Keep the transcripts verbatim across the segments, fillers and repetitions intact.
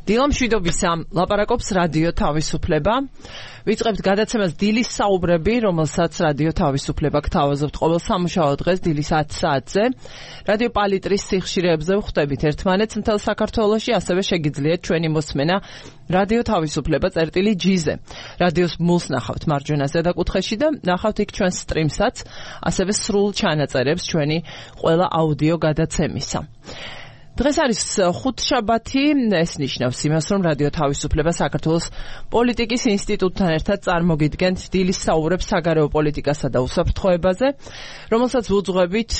დილამშვიდობისა ლაპარაკობს რადიო თავისუფლება. ვიწყებთ გადაცემას დილის საუბრები, რომელსაც რადიო თავისუფლება გთავაზობთ ყოველ სამუშაო დღეს დილის ათი საათზე. რადიო პალიტრის სიხშირეებზე ვხვდებით ერთმანეთს მთელ საქართველოში, ასევე შეგიძლიათ ჩვენი მოსმენა რადიო თავისუფლება წერტილი ჯი-ზე. რადიოს მულს ნახავთ მარჯვენა ზედაკუთხეში და ნახავთ იქ ჩვენს სტრიმსაც, ასევე სრულ ჩანაწერებს ჩვენი ყველა აუდიო გადაცემისა. დღეს არის ხუთშაბათი, ეს ნიშნავს იმას, რომ რადიო თავისუფლება საქართველოს პოლიტიკის ინსტიტუტთან ერთად წარმოგიდგენთ დილის საუბრებს საგარეო პოლიტიკასა და უსაფრთხოებაზე, რომელსაც ვუძღვებით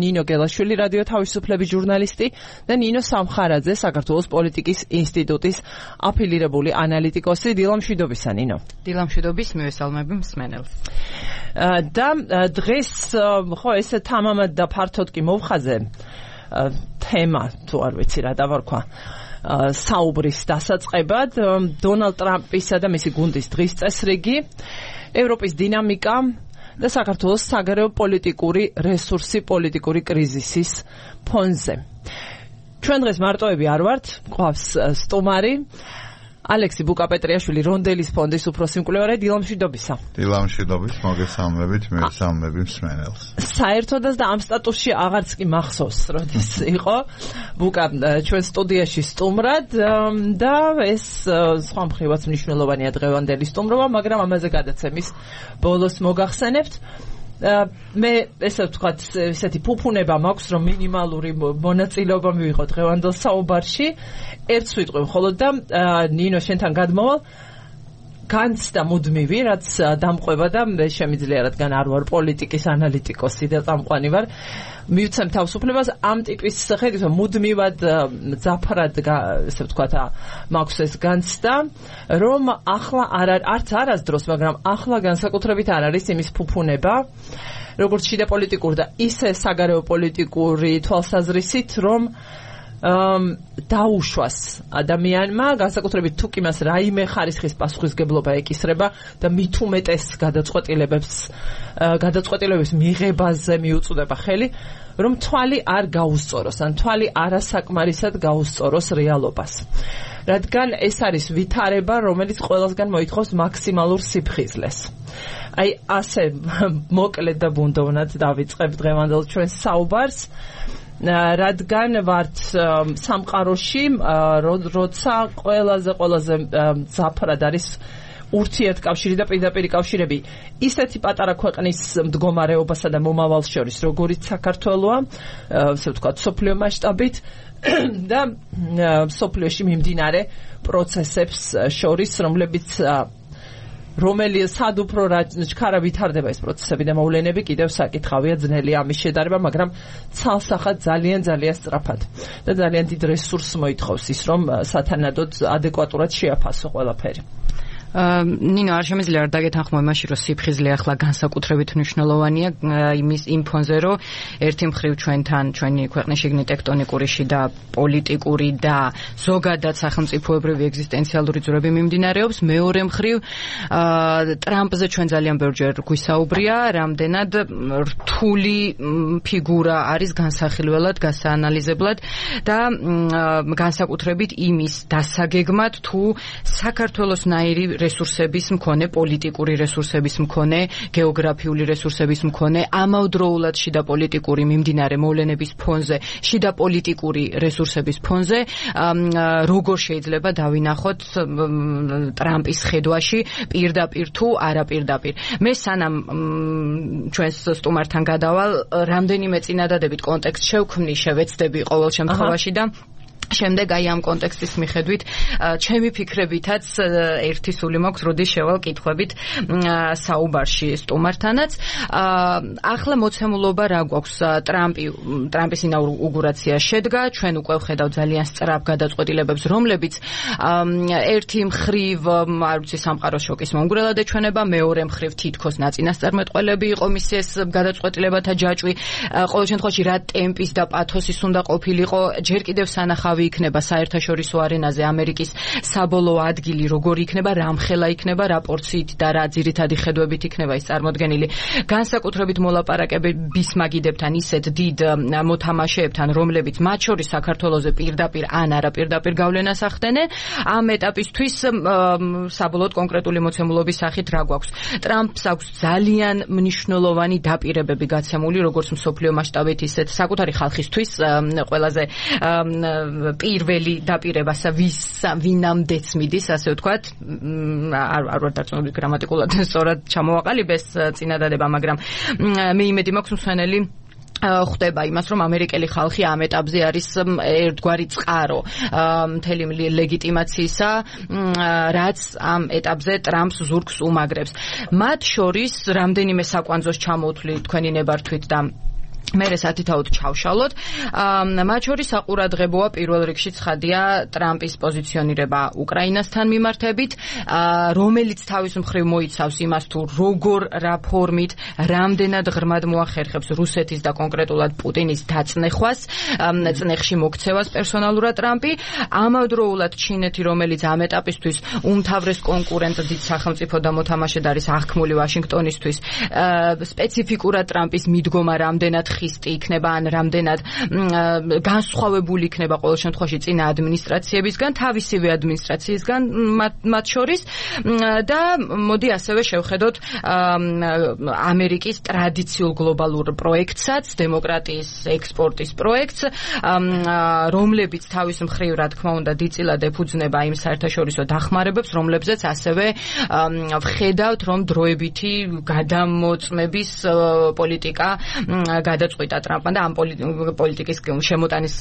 ნინო გელაშვილი, რადიო თავისუფლების ჟურნალისტი და ნინო სამხარაძე, საქართველოს პოლიტიკის ინსტიტუტის აფილირებული ანალიტიკოსი. დილამშვიდობისა, ნინო. დილამშვიდობის, მივესალმები მსმენელს. და დღეს ხო ესე თამამად და ფართოდ კი მოვხაზე თემა, თუ არ ვიცი რა დავარქვა, საუბრის დასაწყებად, დონალდ ტრამპისა და მისი გუნდის დღის წესრიგი, ევროპის დინამიკა და საქართველოს საგარეო პოლიტიკური რესურსი პოლიტიკური კრიზისის ფონზე. ჩვენ დღეს მარტოები არ ვართ, გვყავს სტუმარი ალექსი ბუკაპეტრიაშვილი, რონდელის ფონდის უფროსი მკვლევარი. დილამშვიდობისა. დილამშვიდობის, მოგესალმებით, მივესალმები მსმენელს. საერთოდაც და ამ სტატუსში აღარც კი მახსოვს, როდის იყო ბუკა ჩვენ სტუდიაში სტუმრად და ეს სხვა მხრივაც მნიშვნელოვანია დღევანდელი სტუმრობა, მაგრამ ამაზე გადაცემის ბოლოს მოგახსენებთ. მე ესე ვთქვათ, ესეთი ფუფუნება მაქვს, რომ მინიმალური მონაწილეობა მივიღო დღევანდელ საუბარში. ერთს ვიტყვი მხოლოდ და ნინო შენთან გადმოვალ განცდა მუდმივი, რაც დამყვება და მე შემიძლია, რადგან არ ვარ პოლიტიკის ანალიტიკოსი და წამყვანი ვარ, მივცემ თავისუფლებას ამ ტიპის ხედვით, მუდმივად ძაფრად ესე ვთქვათ, მაქვს ეს განცდა, რომ ახლა არ არც არასდროს, მაგრამ ახლა განსაკუთრებით არ არის იმის ფუფუნება, როგორც შიდა პოლიტიკური და ისე საგარეო პოლიტიკური თვალსაზრისით, რომ დაუშვას ადამიანმა, განსაკუთრებით თუ კი მას რაიმე ხარისხის პასუხისგებლობა ეკისრება და მით უმეტეს გადაწყვეტილებებს გადაწყვეტილებების მიღებაზე მიუწვდება ხელი, რომ თვალი არ გაუსწოროს, ან თვალი არასაკმარისად გაუსწოროს რეალობას. რადგან ეს არის ვითარება, რომელიც ყველასგან მოითხოვს მაქსიმალურ სიფხიზლეს. აი ასე მოკლედ და ბუნდოვნად დავიწყებ დღევანდელ ჩვენს საუბარს. რადგან ვართ სამყაროში, როცა ყველაზე ყველაზე ძაფრად არის ურთიერთკავშირი და პირდაპირი კავშირები ისეთი პატარა ქვეყნის მდგომარეობასა და მომავალს შორის, როგორიც საქართველოა, ასე ვთქვათ, მსოფლიო მასშტაბით და მსოფლიოში მიმდინარე პროცესებს შორის, რომლებიც რომელი სად უფრო ჩქარა ვითარდება ეს პროცესები და მოვლენები, კიდევ საკითხავია, ძნელია ამის შედარება, მაგრამ ცალსახად ძალიან ძალიან სწრაფად და ძალიან დიდ რესურსს მოითხოვს ის, რომ სათანადოდ ადეკვატურად შეაფასო ყველაფერი. ნინო, არ შემიძლია არ დაგეთანხმო იმაში, რომ სიფხიზლე ახლა განსაკუთრებით მნიშვნელოვანია იმის იმ ფონზე, რომ ერთი მხრივ ჩვენთან, ჩვენი ქვეყნის შიგნით ტექტონიკური შიდა პოლიტიკური და ზოგადად სახელმწიფოებრივი ეგზისტენციალური ძვრები მიმდინარეობს, მეორე მხრივ ტრამპზე ჩვენ ძალიან ბევრჯერ გვისაუბრია, რამდენად რთული ფიგურა არის განსახილველად, გასაანალიზებლად და განსაკუთრებით იმის დასაგეგმად, თუ საქართველოსნაირი რესურსების მქონე, პოლიტიკური რესურსების მქონე, გეოგრაფიული რესურსების მქონე, ამავდროულად შიდა პოლიტიკური მიმდინარე მოვლენების ფონზე, შიდა პოლიტიკური რესურსების ფონზე, როგორ შეიძლება დავინახოთ ტრამპის ხედვაში პირდაპირ თუ არაპირდაპირ. მე სანამ ჩვენს სტუმართან გადავალ, რამდენიმე წინადადებით კონტექსტ შევქმნი, შევეცდები ყოველ შემთხვევაში და შემდეგ აი ამ კონტექსტის მიხედვით ჩემი ფიქრებითაც ერთი სული მაქვს, როდის შევალ კითხვებით საუბარში სტუმართანაც. ახლა მოცემულობა რა გვაქვს? ტრამპი ტრამპის ინაუგურაცია შედგა, ჩვენ უკვე ვხედავთ ძალიან სწრაფ გადაწყვეტილებებს, რომლებიც ერთი მხრივ არ ვიცი სამყაროს შოკის მომგვრელად ეჩვენება, მეორე მხრივ თითქოს ნაწინასწარმეტყველები იყო მისი ეს გადაწყვეტილებათა ჯაჭვი. ყოველ შემთხვევაში რა ტემპის და პათოსის უნდა ყოფილიყო, ჯერ კიდევ სანახავ თავი იქნება საერთაშორისო არენაზე ამერიკის საბოლოო ადგილი, როგორი იქნება, რამხელა იქნება, რა პორციით და რა ძირითადი ხედვებით იქნება ის წარმოდგენილი. განსაკუთრებით მოლაპარაკების მაგიდებთან ისეთ დიდ მოთამაშეებთან, რომლებიც მათ შორის საქართველოზე პირდაპირ ან არა პირდაპირ გავლენას ახდენენ, ამ ეტაპისთვის საბოლოოდ კონკრეტული მოცემულობის სახით რა გვაქვს. ტრამპს აქვს ძალიან მნიშვნელოვანი დაპირებები გაცემული, როგორც მსოფლიო მასშტაბით, ისეთ საკუთარი ხალხისთვის ყველაზე პირველი დაპირება, ვის ვინამდეც მიდის, ასე ვთქვათ, არ არ ვარ დარწმუნებული გრამატიკულად სწორად ჩამოვაყალიბეს წინადადება, მაგრამ მე იმედი მაქვს მსვენელი ხდება იმას, რომ ამერიკელი ხალხი ამ ეტაპზე არის ერთგვარი წყარო მთელი ლეგიტიმაციისა, რაც ამ ეტაპზე ტრამპს ზურგს უმაგრებს. მათ შორის რამდენიმე საკვანძოს ჩამოთვლი თქვენი ნებართვით და მერე სათითაოდ ჩავშალოთ. მათ შორის საყურადღებოა პირველ რიგში ცხადია ტრამპის პოზიციონირება უკრაინასთან მიმართებით, რომელიც თავის მხრივ მოიცავს იმას, თუ როგორ რა ფორმით, რამდენად ღრმად მოახერხებს რუსეთის და კონკრეტულად პუტინის დაწნეხვას, წნეხში მოქცევას პერსონალურად ტრამპი. ამავდროულად ჩინეთი, რომელიც ამ ეტაპისთვის უმთავრეს კონკურენტ დიდ სახელმწიფო და მოთამაშედ არის აღქმული ვაშინგტონისთვის, სპეციფიკურად ტრამპის მიდგომა რამდენად ხისტი იქნება ან რამდენად განსხვავებული იქნება ყოველ შემთხვევაში წინა ადმინისტრაციებისგან, თავისივე ადმინისტრაციისგან მათ შორის და მოდი ასევე შევხედოთ ამერიკის ტრადიციულ გლობალურ პროექტსაც, დემოკრატიის ექსპორტის პროექტს, რომლებიც თავის მხრივ, რა თქმა უნდა, დიდწილად ეფუძნება იმ საერთაშორისო დახმარებებს, რომლებზეც ასევე ვხედავთ, რომ დროებითი გადამოწმების პოლიტიკა გადაწყვიტა ტრამპმა და ამ პოლიტიკის შემოტანის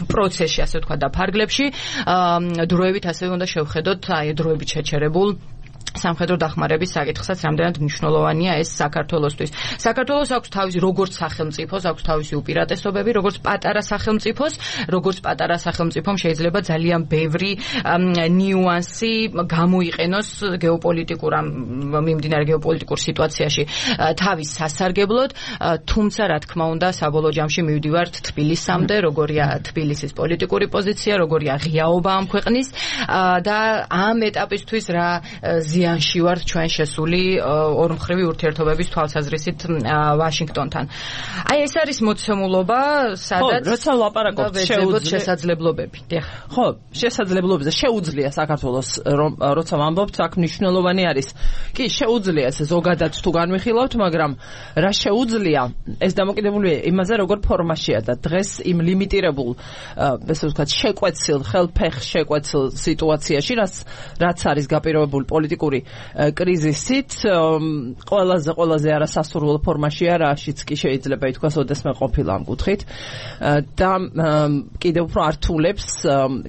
პროცესში, ასე ვთქვათ, და ფარგლებში დროებით ასევე უნდა შევხედოთ აი დროებით შეჩერებულ სამხედრო დახმარების საკითხსაც, რამდენად მნიშვნელოვანია ეს საქართველოსთვის. საქართველოს აქვს თავისი როგორც სახელმწიფოს, აქვს თავისი უპირატესობები, როგორც პატარა სახელმწიფოს, როგორც პატარა სახელმწიფომ შეიძლება ძალიან ბევრი ნიუანსი გამოიყენოს გეოპოლიტიკურ მიმდინარე გეოპოლიტიკურ სიტუაციაში თავის სასარგებლოდ, თუმცა რა თქმა უნდა, საბოლოო ჯამში მივდივართ თბილისამდე, როგორია თბილისის პოლიტიკური პოზიცია, როგორია ღიაობა ამ ქვეყნის და ამ ეტაპისთვის რა ზიანში ვართ ჩვენ შესული ორმხრივი ურთიერთობების თვალსაზრისით ვაშინგტონთან. აი ეს არის მოცემულობა, სადაც როცა ვლაპარაკობთ შესაძლებლობები. ხო, შესაძლებლობებზე შეუძლია საქართველოს, რომ როცა ვამბობთ, აქ მნიშვნელოვანი არის. კი, შეუძლია ეს ზოგადად თუ განვიხილავთ, მაგრამ რა შეუძლია, ეს დამოკიდებულია იმაზე, როგორ ფორმაშია და დღეს იმ ლიმიტირებულ, ესე ვთქვათ, შეკვეცილ, ხელფეხ შეკვეცილ სიტუაციაში, რაც რაც არის გაპირობებული პოლიტიკური კრიზისით, ყველაზე ყველაზე არასასურველ ფორმაშია, რაშიც კი შეიძლება ითქვას, ოდესმე ყოფილა ამ კუთხით და კიდევ უფრო ართულებს,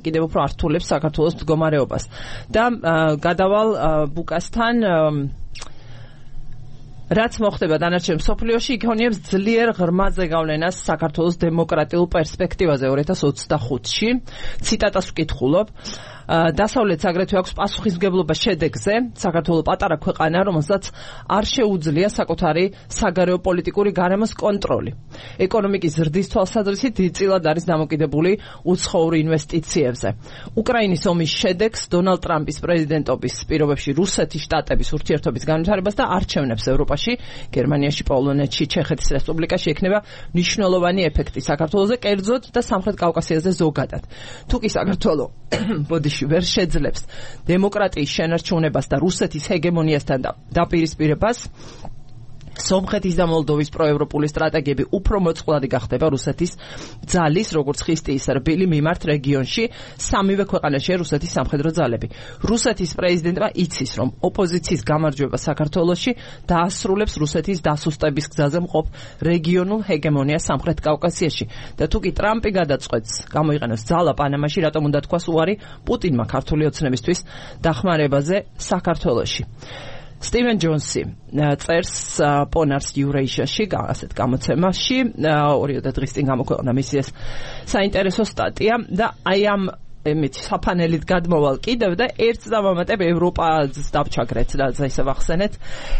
კიდევ უფრო ართულებს საქართველოს მდგომარეობას. და გადავალ ბუკასთან, რაც მოხდება დანარჩენ მსოფლიოში, იქონიებს ძლიერ ღრმაზე გავლენას საქართველოს დემოკრატიულ პერსპექტივაზე ორი ათას ოცდახუთში. ციტატას ვკითხულობ. დასავლეთს აგრეთვე აქვს პასუხისმგებლობა შედეგზე, საქართველოს პატარა ქვეყანა, რომელსაც არ შეუძლია საკუთარი საგარეო პოლიტიკური გარემოს კონტროლი. ეკონომიკის ზრდის თვალსაზრისით დიდწილად არის დამოკიდებული უცხოურ ინვესტიციებზე. უკრაინის ომის შედეგს დონალდ ტრამპის პრეზიდენტობის პირობებში რუსეთის შტატების ურთიერთობის განვითარებას და არჩევნებს ევროპაში, გერმანიაში, პოლონეთში, ჩეხეთის რესპუბლიკაში ექნება მნიშვნელოვანი ეფექტი საქართველოზე, კერძოდ და სამხრეთ კავკასიაზე ზოგადად. თუკი საქართველო ბოდიში ვერ შეძლებს დემოკრატიის შენარჩუნებას და რუსეთის ჰეგემონიასთან დაპირისპირებას, სომხეთის და მოლდოვის პროევროპული სტრატეგიები უფრო მოწყვლადი გახდება რუსეთის ძალის, როგორც ხისტი ისე რბილი მიმართ რეგიონში, სამივე ქვეყანაშია რუსეთის სამხედრო ძალები. რუსეთის პრეზიდენტმა იცის, რომ ოპოზიციის გამარჯვება საქართველოში დაასრულებს რუსეთის დასუსტების გზაზე მყოფ რეგიონულ ჰეგემონიას სამხრეთ კავკასიაში. და თუკი ტრამპი გადაწყვეტს გამოიყენოს ძალა პანამაში, რატომ უნდა თქვას უარი პუტინმა ქართული ოცნებისთვის დახმარებაზე საქართველოში. სტივენ ჯონსი წერს პონარს იურეიშიაში, ასეთ გამოცემაში, ორი დღის წინ გამოქვეყნა მისი ეს საინტერესო სტატია და აი ამ ემით საფანელით გადმოვალ კიდევ და ერთს დავამატებ ევროპას დავჩაგრეთ და ისე ვახსენეთ.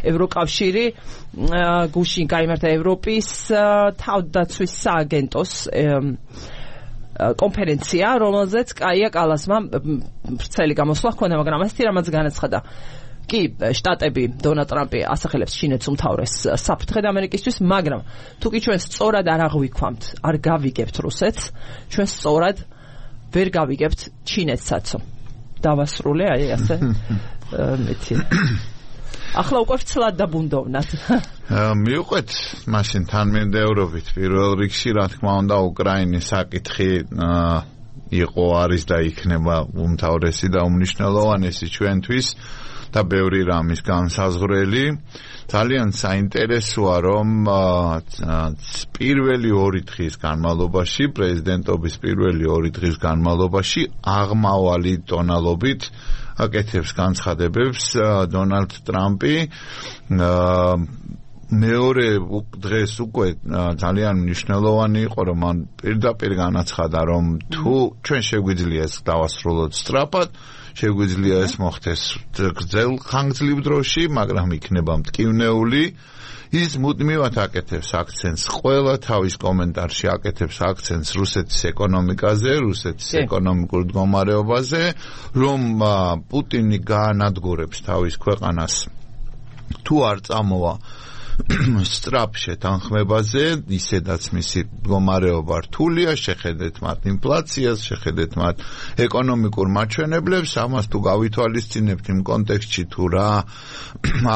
ევროკავშირი გუშინ გაიმართა ევროპის თავდაცვის სააგენტოს კონფერენცია, რომელზეც კაია კალასმა ვრცელი გამოსვლა ჰქონდა, მაგრამ ასეთი რამაც განაცხადა. კი, შტატები დონალდ ტრამპი ასახელებს ჩინეთს უმთავრეს საფრთხედ ამერიკისთვის, მაგრამ თუ კი ჩვენ სწორად არ აღვიქვამთ, არ გავიგებთ რუსეთს, ჩვენ სწორად ვერ გავიგებთ ჩინეთსაც. დავასრულე, აი ასე. მეცი. ახლა უკვე ვცლად დაბუნდოვნათ. მივყვეთ მაშინ თანმიმდევრობით პირველ რიგში, რა თქმა უნდა, უკრაინის საკითხი იყო, არის და იქნება უმთავრესი და უმნიშვნელოვანესი ჩვენთვის და ბევრი რამის განსაზღვრელი. ძალიან საინტერესოა, რომ პირველი ორი დღის განმავლობაში, პრეზიდენტობის პირველი ორი დღის განმავლობაში აღმავალი ტონალობით აკეთებს განცხადებებს დონალდ ტრამპი. მეორე დღეს უკვე ძალიან მნიშვნელოვანი იყო, რომ მან პირდაპირ განაცხადა, რომ თუ ჩვენ შეგვიძლია ეს დავასრულოთ სწრაფად, შეგვიძლია ეს მოხდეს გრძელ ხანგრძლივ დროში, მაგრამ იქნება მტკივნეული. ის მუდმივად აკეთებს აქცენტს, ყველა თავის კომენტარში აკეთებს აქცენტს რუსეთის ეკონომიკაზე, რუსეთის ეკონომიკურ მდგომარეობაზე, რომ პუტინი გაანადგურებს თავის ქვეყანას თუ არ წამოვა სწრაფ შეთანხმებაზე, ისედაც მისი მდგომარეობა რთულია, შეხედეთ მათ ინფლაციას, შეხედეთ მათ ეკონომიკურ მაჩვენებლებს, ამას თუ გავითვალისწინებთ იმ კონტექსტში თუ რა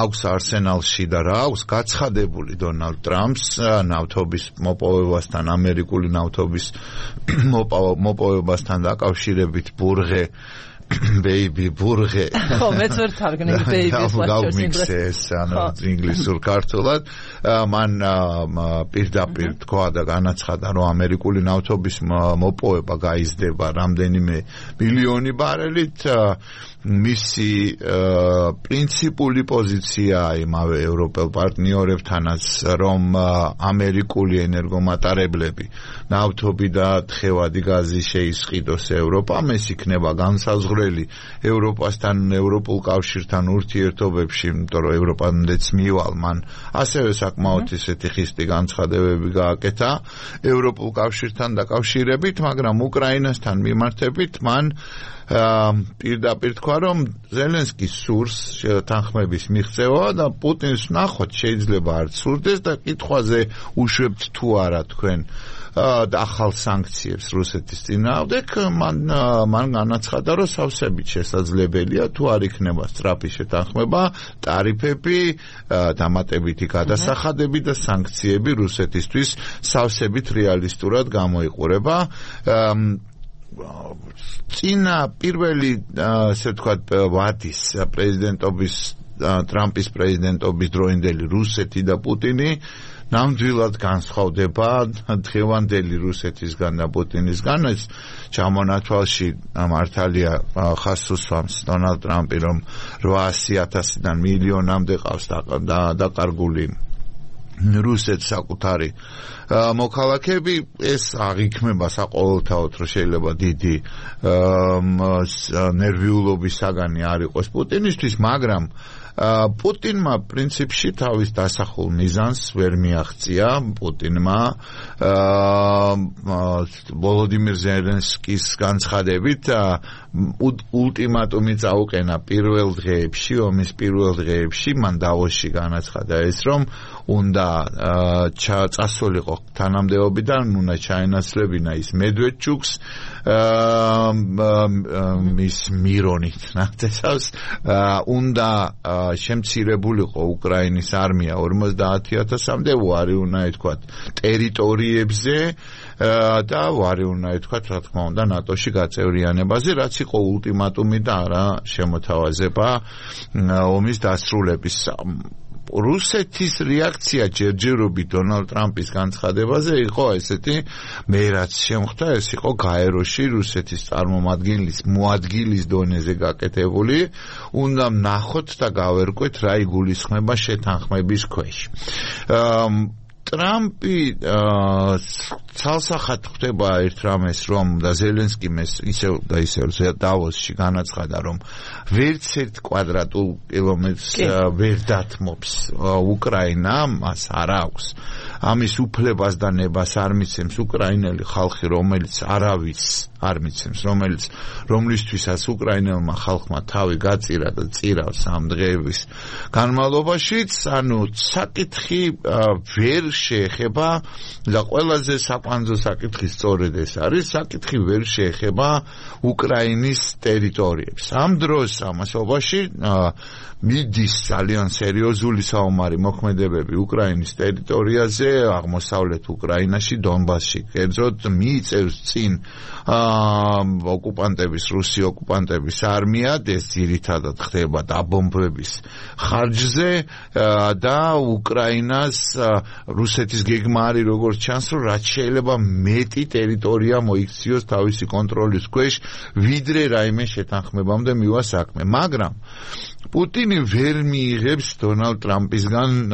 აქვს არსენალში და რა აქვს გაცხადებული დონალდ ტრამპს ნავთობის მოპოვებასთან, ამერიკული ნავთობის მოპოვებასთან დაკავშირებით ბურღე baby ბურღე. ხო, მეც ვერ თარგმნი baby-ს ლაშქრს ანუ ინგლისურ ქართულად. მან პირდაპირ თქვა და განაცხადა, რომ ამერიკული ნავთობის მოპოვება გაიზრდება რამდენიმე მილიონი ბარელით. მისი პრინციპული პოზიცია იმავე ევროპელ პარტნიორებთანაც, რომ ამერიკული ენერგომატარებლები ნავთობი და თხევადი გაზი შეისყიდოს ევროპამ, ეს იქნება განსაზღვრელი ევროპასთან, ევროპულ კავშირთან ურთიერთობებში, იმიტომ რომ ევროპამდეც მივალ მან ასევე საკმაოდ ისეთი ხისტი განცხადებები გააკეთა ევროპულ კავშირთან დაკავშირებით, მაგრამ უკრაინასთან მიმართებით მან პირდაპირ თქვა, რომ ზელენსკის სურს თანხმების მიღწევა და პუტინს ნახოთ შეიძლება არ სურდეს და კითხვაზე უშვებთ თუ არა თქვენ ახალ სანქციებს რუსეთის წინააღმდეგ. მან მან განაცხადა, რომ სავსებით შესაძლებელია თუ არ იქნება სწრაფი შეთანხმება, ტარიფები, დამატებითი გადასახადები და სანქციები რუსეთისთვის სავსებით რეალისტურად გამოიყურება. წინა პირველი ასე ვთქვათ ვადის პრეზიდენტობის ტრამპის პრეზიდენტობის დროინდელი რუსეთი და პუტინი ნამდვილად განსხვავდება დღევანდელი რუსეთისგან და პუტინისგან. ეს ჩამონათვალში მართალია ხას უსვამს დონალდ ტრამპი, რომ რვაასი ათასიდან მილიონამდე ყავს დაკარგული რუსეთს საკუთარი მოქალაქეები. ეს აღიქმება საყოველთაოდ, რომ შეიძლება დიდი ნერვიულობის საგანი არ იყოს პუტინისთვის, მაგრამ პუტინმა პრინციპში თავის დასახულ მიზანს ვერ მიაღწია. პუტინმა ვოლოდიმირ ზელენსკის განცხადებით ულტიმატუმი წაუყენა პირველ დღეებში, ომის პირველ დღეებში. მან დავოსში განაცხადა ეს, რომ უნდა წასულიყო თანამდებობიდან, უნდა ჩაენაცვლებინა ის მედვედჩუკს მის მირონით ნახტესავს, უნდა შემცირებულიყო უკრაინის არმია ორმოცდაათი ათასამდე, ვარი უნდა ითქვათ ტერიტორიებზე და ვარი უნდა ითქვათ, რა თქმა უნდა, ნატოში გაწევრიანებაზე, რაც იყო ულტიმატუმი და არა შემოთავაზება ომის დასრულების. რუსეთის რეაქცია ჯერჯერობით დონალდ ტრამპის განცხადებაზე იყო ესეთი, მე რაც შემხვდა, ეს იყო გაეროში რუსეთის წარმომადგენლის მოადგილის დონეზე გაკეთებული. უნდა ვნახოთ და გავერკვეთ რა იგულისხმება შეთანხმების ქვეშ. ტრამპი ცალსახად ხვდება ერთ რამეს, რომ და ზელენსკიმ ეს ისევ და ისევ დავოსში განაცხადა, რომ ვერც ერთ კვადრატულ კილომეტრს ვერ დათმობს უკრაინა, მას არ აქვს ამის უფლებას და ნებას არ მიცემს უკრაინელი ხალხი, რომელიც არავის არ მიცემს, რომელიც რომლისთვისაც უკრაინელმა ხალხმა თავი გაწირა და წირავს ამ დღეების განმავლობაშიც, ანუ საკითხი ვერ შეეხება და ყველაზე საკვანძო საკითხი სწორედ ეს არის, საკითხი ვერ შეეხება უკრაინის ტერიტორიებს. ამ დროს ამასობაში მიდის ძალიან სერიოზული საომარი მოქმედებები უკრაინის ტერიტორიაზე, აღმოსავლეთ უკრაინაში, დონბასში. კერძოდ მიიწევს წინ ოკუპანტების, რუსი ოკუპანტების არმია, ეს ძირითადად ხდება დაბომბვების ხარჯზე და უკრაინას რუსეთის გეგმა არის, როგორც ჩანს, რომ რაც შეიძლება მეტი ტერიტორია მოიქციოს თავისი კონტროლის ქვეშ, ვიდრე რაიმე შეთანხმებამდე მივა საქმე. მაგრამ პუტინი ვერ მიიღებს დონალდ ტრამპისგან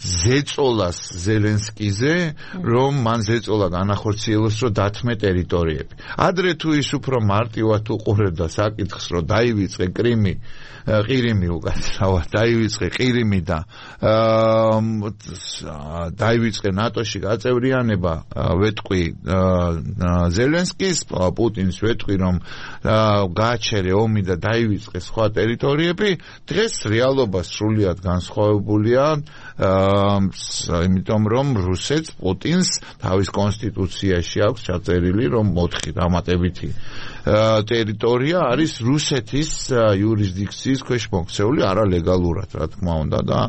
ზეწოლას ზელენსკიზე, რომ მან ზეწოლა განახორციელოს, რომ დათმე ტერიტორიები. ადრე თუ ის უფრო მარტივად უყურებდა საკითხს, რომ დაივიწყე კრიმი, ყირიმი უკაცრავად, დაივიწყე ყირიმი და დაივიწყე ნატოში გაწევრიანება, ვეტყვი ზელენსკის, პუტინის ვეტყვი, რომ გააჩერე ომი და დაივიწყე სხვა ტერიტორიები, დღეს რეალობა სრულიად განსხვავებულია, იმიტომ რომ რუსეთს პუტინს თავის კონსტიტუციაში აქვს ჩაწერილი, რომ მოთხი დამატებითი ტერიტორია არის რუსეთის იურისდიქციის ქვეშ მოქცეული არალეგალურად, რა თქმა უნდა და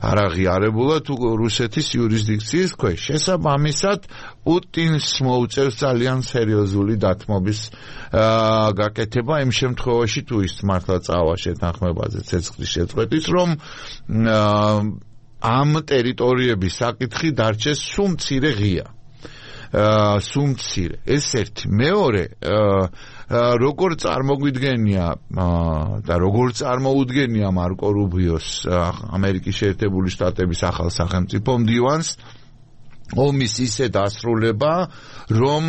არაღიარებულად რუსეთის იურისდიქციის ქვეშ. შესაბამისად, პუტინს მოუწევს ძალიან სერიოზული დათმობის გაკეთება იმ შემთხვევაში, თუ ის მართლა წავა შეთანხმებაზე ცეცხლის შეწყვეტის, რომ ამ ტერიტორიების საკითხი დარჩეს სულ მცირე ღია. სულ მცირე. ეს ერთი. მეორე, როგორ წარმოგვიდგენია და როგორ წარმოუდგენია მარკო რუბიოს ამერიკის შეერთებული შტატების ახალ სახელმწიფო მდივანს ომის ისე დასრულება, რომ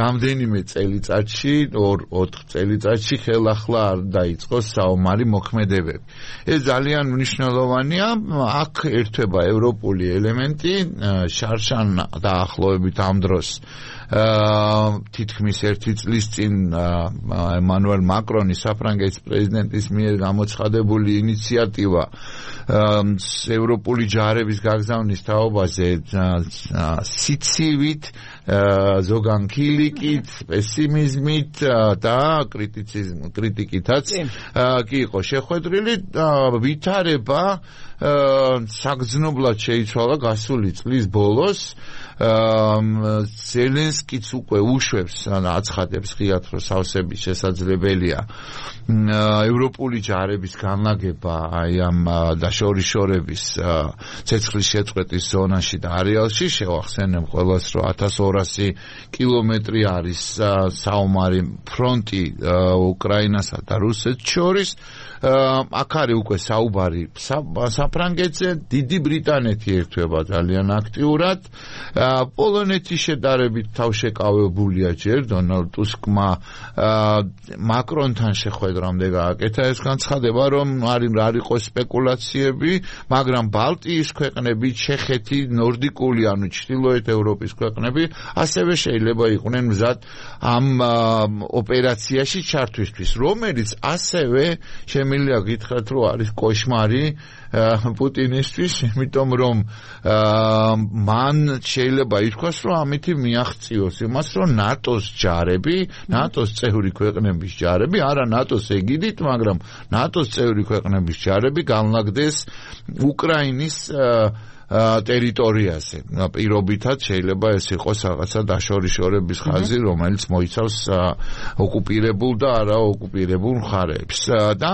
რამდენიმე წელიწადში, ოთხ წელიწადში ხელახლა არ დაიწყოს საომარი მოქმედებები. ეს ძალიან მნიშვნელოვანია, აქ ერთვება ევროპული ელემენტი, შარშან დაახლოებით ამ დროს თითქმის ერთი წლის წინ ემანუელ მაკრონი საფრანგეთის პრეზიდენტის მიერ გამოცხადებული ინიციატივა ევროპული ჯარების გაგზავნის თაობაზე სიცივით, ზოგანქილიკით, პესიმიზმით და კრიტიკითაც კი იყო შეხვედრილი, ვითარება საგრძნობლად შეიცვალა გასული წლის ბოლოს. ზელენსკიც უკვე უშვებს, აცხადებს ღიად, რომ სავსების შესაძლებელია ევროპული ჯარების განლაგება აი ამ დაშორიშორების ცეცხლის შეწყვეტის ზონაში და არეალში. შევახსენებ ყველას, რომ ათას ორასი კილომეტრი არის საომარი ფრონტი უკრაინასა და რუსეთს შორის. აქ არის უკვე საუბარი საფრანგეთზე, დიდი ბრიტანეთი ერთვება ძალიან აქტიურად. პოლონეთის შედარებით თავშეკავებულია ჯერ დონალდ ტუსკმა მაკრონთან შეხვედრამდე გააკეთა ეს განცხადება, რომ არ იყოს სპეკულაციები, მაგრამ ბალტიის ქვეყნები, ჩეხეთი, ნორდიკული, ანუ ჩრდილოეთ ევროპის ქვეყნები ასევე შეიძლება იყვნენ მზად ამ ოპერაციაში ჩართვისთვის, რომელიც ასევე შემიძლია გითხრათ, რომ არის კოშმარი პუტინისთვის, იმიტომ რომ მან შეიძლება ითქვას, რომ ამითი მიაღწიოს იმას, რომ ნატოს ჯარები, ნატოს წევრი ქვეყნების ჯარები, არა ნატოს ეგიდით, მაგრამ ნატოს წევრი ქვეყნების ჯარები განლაგდეს უკრაინის ტერიტორიაზე. პირობითად შეიძლება ეს იყოს რაღაცა დაშორიშორების ხაზი, რომელიც მოიცავს ოკუპირებულ და არა ოკუპირებულ მხარეებს. და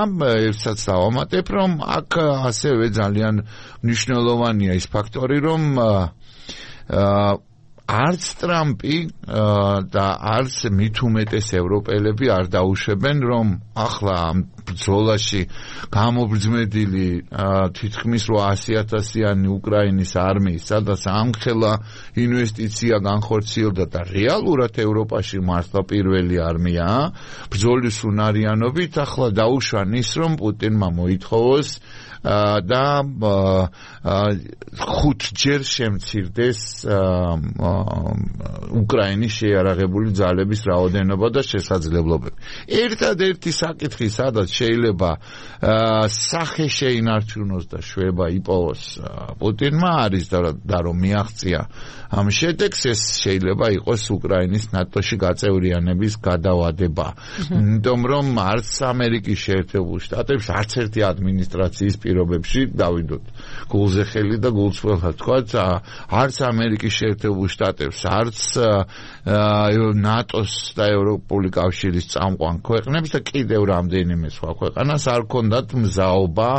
ერთსაც დავამატებ, რომ აქ ასევე ძალიან მნიშვნელოვანია ის ფაქტორი, რომ არც ტრამპი და არც მით უმეტეს ევროპელები არ დაუშვებენ, რომ ახლა ბრძოლაში გამობრძმედილი თითქმის რვაასი ათასიანი უკრაინის არმიის, სადაც ამხელა ინვესტიცია განხორციელდა და რეალურად ევროპაში მართლა პირველი არმიაა ბრძოლის უნარიანობით. ახლა დაუშვან ის, რომ პუტინმა მოითხოვოს და ხუთჯერ შემცირდეს უკრაინის შეიარაღებული ძალების რაოდენობა და შესაძლებლობები. ერთადერთი საკითხი, სადაც შეიძლება სახე შეინარჩუნოს და შვება იპოვოს პუტინმა არის და რომ მიაღწია ამ შედეგს, ეს შეიძლება იყოს უკრაინის ნატოში გაწევრიანების გადავადება. იმიტომ რომ არც ამერიკის შეერთებულ შტატებს, არც ერთი ადმინისტრაციის პირობებში დავიდოთ გულზე ხელი და გულწრფელად თქვათ, არც ამერიკის შეერთებულ შტატებს, არც ნატოს და ევროპული კავშირის წამყვან ქვეყნებს და კიდევ რამდენიმე სხვა ქვეყანას არ ქონდათ მზაობა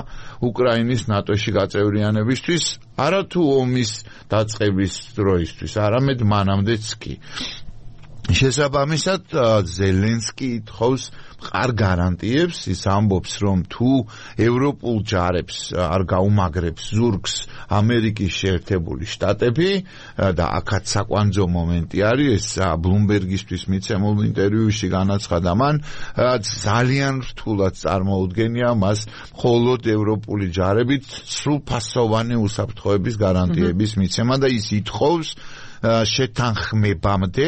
უკრაინის ნატოში გაწევრიანებისთვის, არათუ ომის დაწყების დროისთვის, არამედ მანამდეც კი. შესაბამისად, ზელენსკი ითხოვს მყარ გარანტიებს, ის ამბობს, რომ თუ ევროპულ ჯარებს არ გაუმაგრებს ზურგს ამერიკის შეერთებული შტატები და აქაც საკვანძო მომენტი არის, ეს ბლუმბერგისთვის მიცემულ ინტერვიუში განაცხადა მან, ძალიან რთულად წარმოუდგენია მას მხოლოდ ევროპული ჯარებით სრულფასოვანი უსაფრთხოების გარანტიების მიცემა და ის ითხოვს შეთანხმებამდე,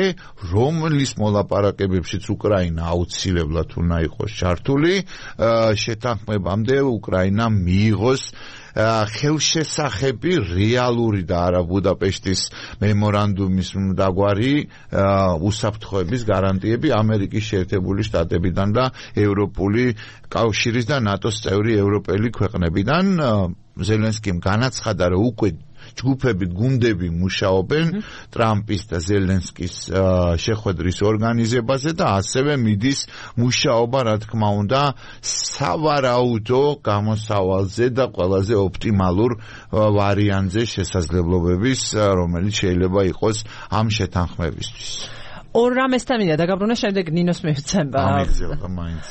რომლის მოლაპარაკებებშიც უკრაინა აუცილებლად უნდა იყოს ჩართული, შეთანხმებამდე უკრაინამ მიიღოს ხელშესახები რეალური და არა ბუდაპეშტის მემორანდუმის დაგვარი უსაფრთხოების გარანტიები ამერიკის შეერთებული შტატებიდან და ევროპული კავშირის და ნატოს წევრი ევროპელი ქვეყნებიდან. ზელენსკიმ განაცხადა, რომ უკვე ჯგუფები, გუნდები მუშაობენ ტრამპის და ზელენსკის შეხვედრის ორგანიზებაზე და ასევე მიდის მუშაობა, რა თქმა უნდა, სავარაუდო გამოსავალზე და ყველაზე ოპტიმალურ ვარიანტზე შესაძლებლობების, რომელიც შეიძლება იყოს ამ შეთანხმებისთვის. ორ რამესთან მინდა დაგაბრუნა, შემდეგ ნინოს მივცემ. ამიგზელდა მაინც.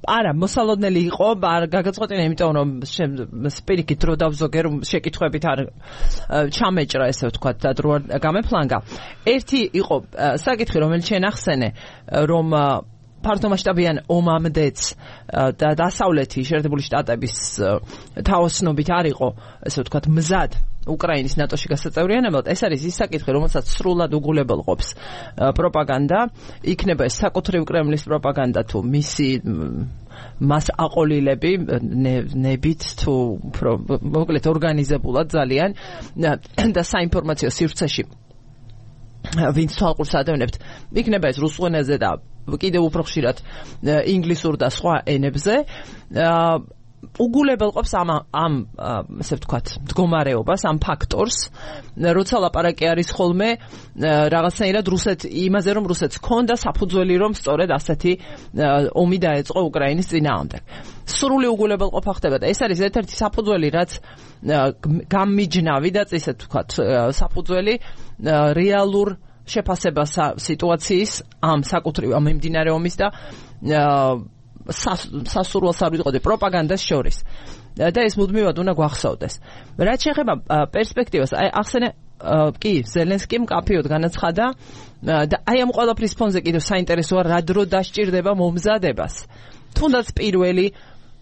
არა, მოსალოდნელი იყო, არ გაგაწყვეტინა, იმიტომ რომ სპირიკით დრო დავზოგე, რომ შეკითხვებით არ ჩამეჭრა, ესე ვთქვათ, და დრო გამეფლანგა. ერთი იყო საკითხი, რომელიც შენ ახსენე, რომ ფართომასშტაბიან ომამდეც და დასავლეთი შეერთებული შტატების თაოსნობით არ იყო, ესე ვთქვათ, მზად უკრაინის ნატოში გასაწევრიანებლად. ეს არის ის საკითხი, რომელსაც სრულად უგულებელყოფს პროპაგანდა, იქნება ეს საკუთრივ კრემლის პროპაგანდა თუ მისი მას აყოლილები ნებით თუ მოკლედ ორგანიზებულად ძალიან და საინფორმაციო სივრცეში ვინც თვალყურს ადევნებთ, იქნება ეს რუსულ ენაზე და კიდევ უფრო ხშირად ინგლისურ და სხვა ენებზე. უგულებელყოფს ამ ამ ასე ვთქვათ, მდგომარეობას, ამ ფაქტორს, როცა ლაპარაკი არის ხოლმე რაღაცნაირად რუსეთ იმაზე, რომ რუსეთს ჰქონდა საფუძველი, რომ სწორედ ასეთი ომი დაეწყო უკრაინის წინააღმდეგ. სრული უგულებელყოფა ხდება და ეს არის ერთ-ერთი საფუძველი, რაც გამიჯნავი და ისე ვთქვათ, საფუძველი რეალურ შეფასებას სიტუაციის ამ საკუთრივ ამ მიმდინარე ომის და სასურველ სარვიტყოდი პროპაგანდას შორის და ეს მუდმივად უნდა გვახსოვდეს. რაც შეეხება პერსპექტივას, აი ახსენე კი ზელენსკიმ კაფეოდ განაცხადა და აი ამ ყველაფრის ფონზე კიდევ საინტერესოა რა დრო დასჭირდება მომზადებას. თუნდაც პირველი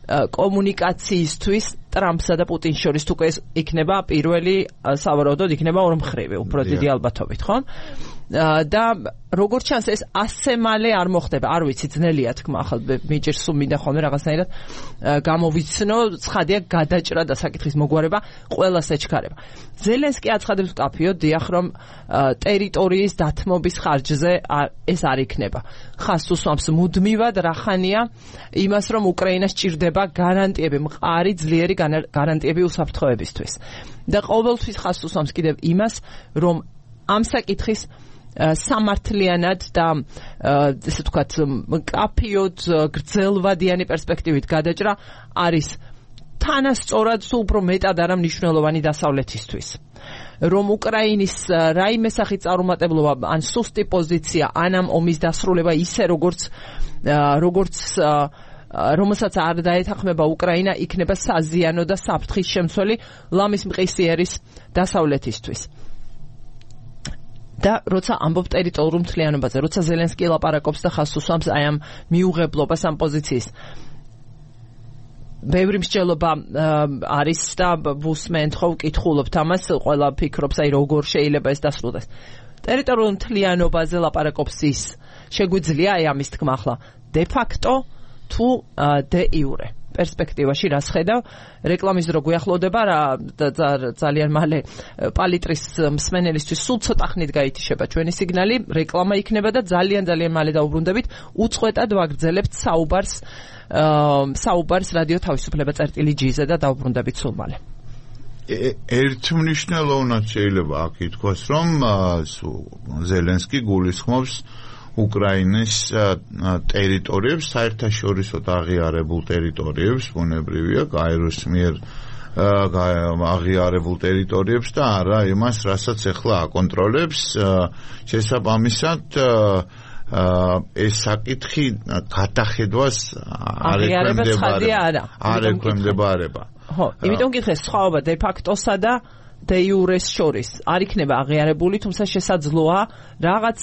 კომუნიკაციისთვის ტრამპსა და პუტინს შორის თუ ეს იქნება პირველი სავარაუდოდ იქნება ორმხრივი, უფრო დიდი ალბათობით, ხო? და როგორც ჩანს ეს ასე მალე არ მოხდება, არ ვიცი, ძნელია თქმა, ახლა მიჯერ სულ მინდა ხოლმე რაღაცნაირად გამოვიცნო, ცხადია გადაჭრა და საკითხის მოგვარება ყველას ეჩქარება. ზელენსკი აცხადებს კაფეოდ, დიახ, რომ ტერიტორიის დათმობის ხარჯზე ეს არ იქნება. ხაზს უსვამს მუდმივად რახანია იმას, რომ უკრაინას ჭირდება გარანტიები, მყარი ძლიერი გარანტიები უსაფრთხოებისთვის. და ყოველთვის ხაზს უსვამს კიდევ იმას, რომ ამ საკითხის სამართლიანად და ესე ვთქვათ, კაფეოდ გრძელვადიანი პერსპექტივით გადაჭრა არის თანასწორად სულ უფრო მეტად არა მნიშვნელოვანი დასავლეთისთვის. რომ უკრაინის რაიმე სახის წარუმატებლობა ან სუსტი პოზიცია ან ამ ომის დასრულება ისე როგორც როგორც რომელსაც არ დაეთანხმება უკრაინა, იქნება საზიანო და საფრთხის შემცველი ლამის მყისიერის დასავლეთისთვის. და როცა ამბობ ტერიტორიულ მთლიანობაზე, როცა ზელენსკი ლაპარაკობს და ხაზს უსვამს აი ამ მიუღებლობას ამ პოზიციის, ბევრი მსჯელობა არის და ვუსმენთ ხო ვკითხულობთ ამას, ყველა ფიქრობს აი როგორ შეიძლება ეს დასრულდეს. ტერიტორიულ მთლიანობაზე ლაპარაკობს ის, შეგვიძლია აი ამის თქმა ახლა de facto თუ de iure პერსპექტივაში რას ხედავ, რეკლამის დრო გვიახლოვდება რა ძალიან მალე პალიტრის მსმენელისთვის სულ ცოტა ხნით გაითიშება ჩვენი სიგნალი, რეკლამა იქნება და ძალიან ძალიან მალე დაუბრუნდებით, უწყვეტად ვაგრძელებთ საუბარს საუბარს რადიო თავისუფლება წერტილი ჯი-ზე და დაუბრუნდებით სულ მალე. ერთმნიშვნელოვნად შეიძლება აქ ითქვას, რომ ზელენსკი გულისხმობს უკრაინის ტერიტორიებს, საერთაშორისო აღიარებულ ტერიტორიებს, ბუნებრივია, გაეროს მიერ აღიარებულ ტერიტორიებს და არა იმას, რასაც ახლა აკონტროლებს. შესაბამისად, ეს საკითხი გადახედვას არ ექვემდებარება. ხო, იმიტომ გიხდეს სხვაობა de facto-სა და de iure-ს შორის. არ იქნება აღიარებული, თუმცა შესაძლოა რაღაც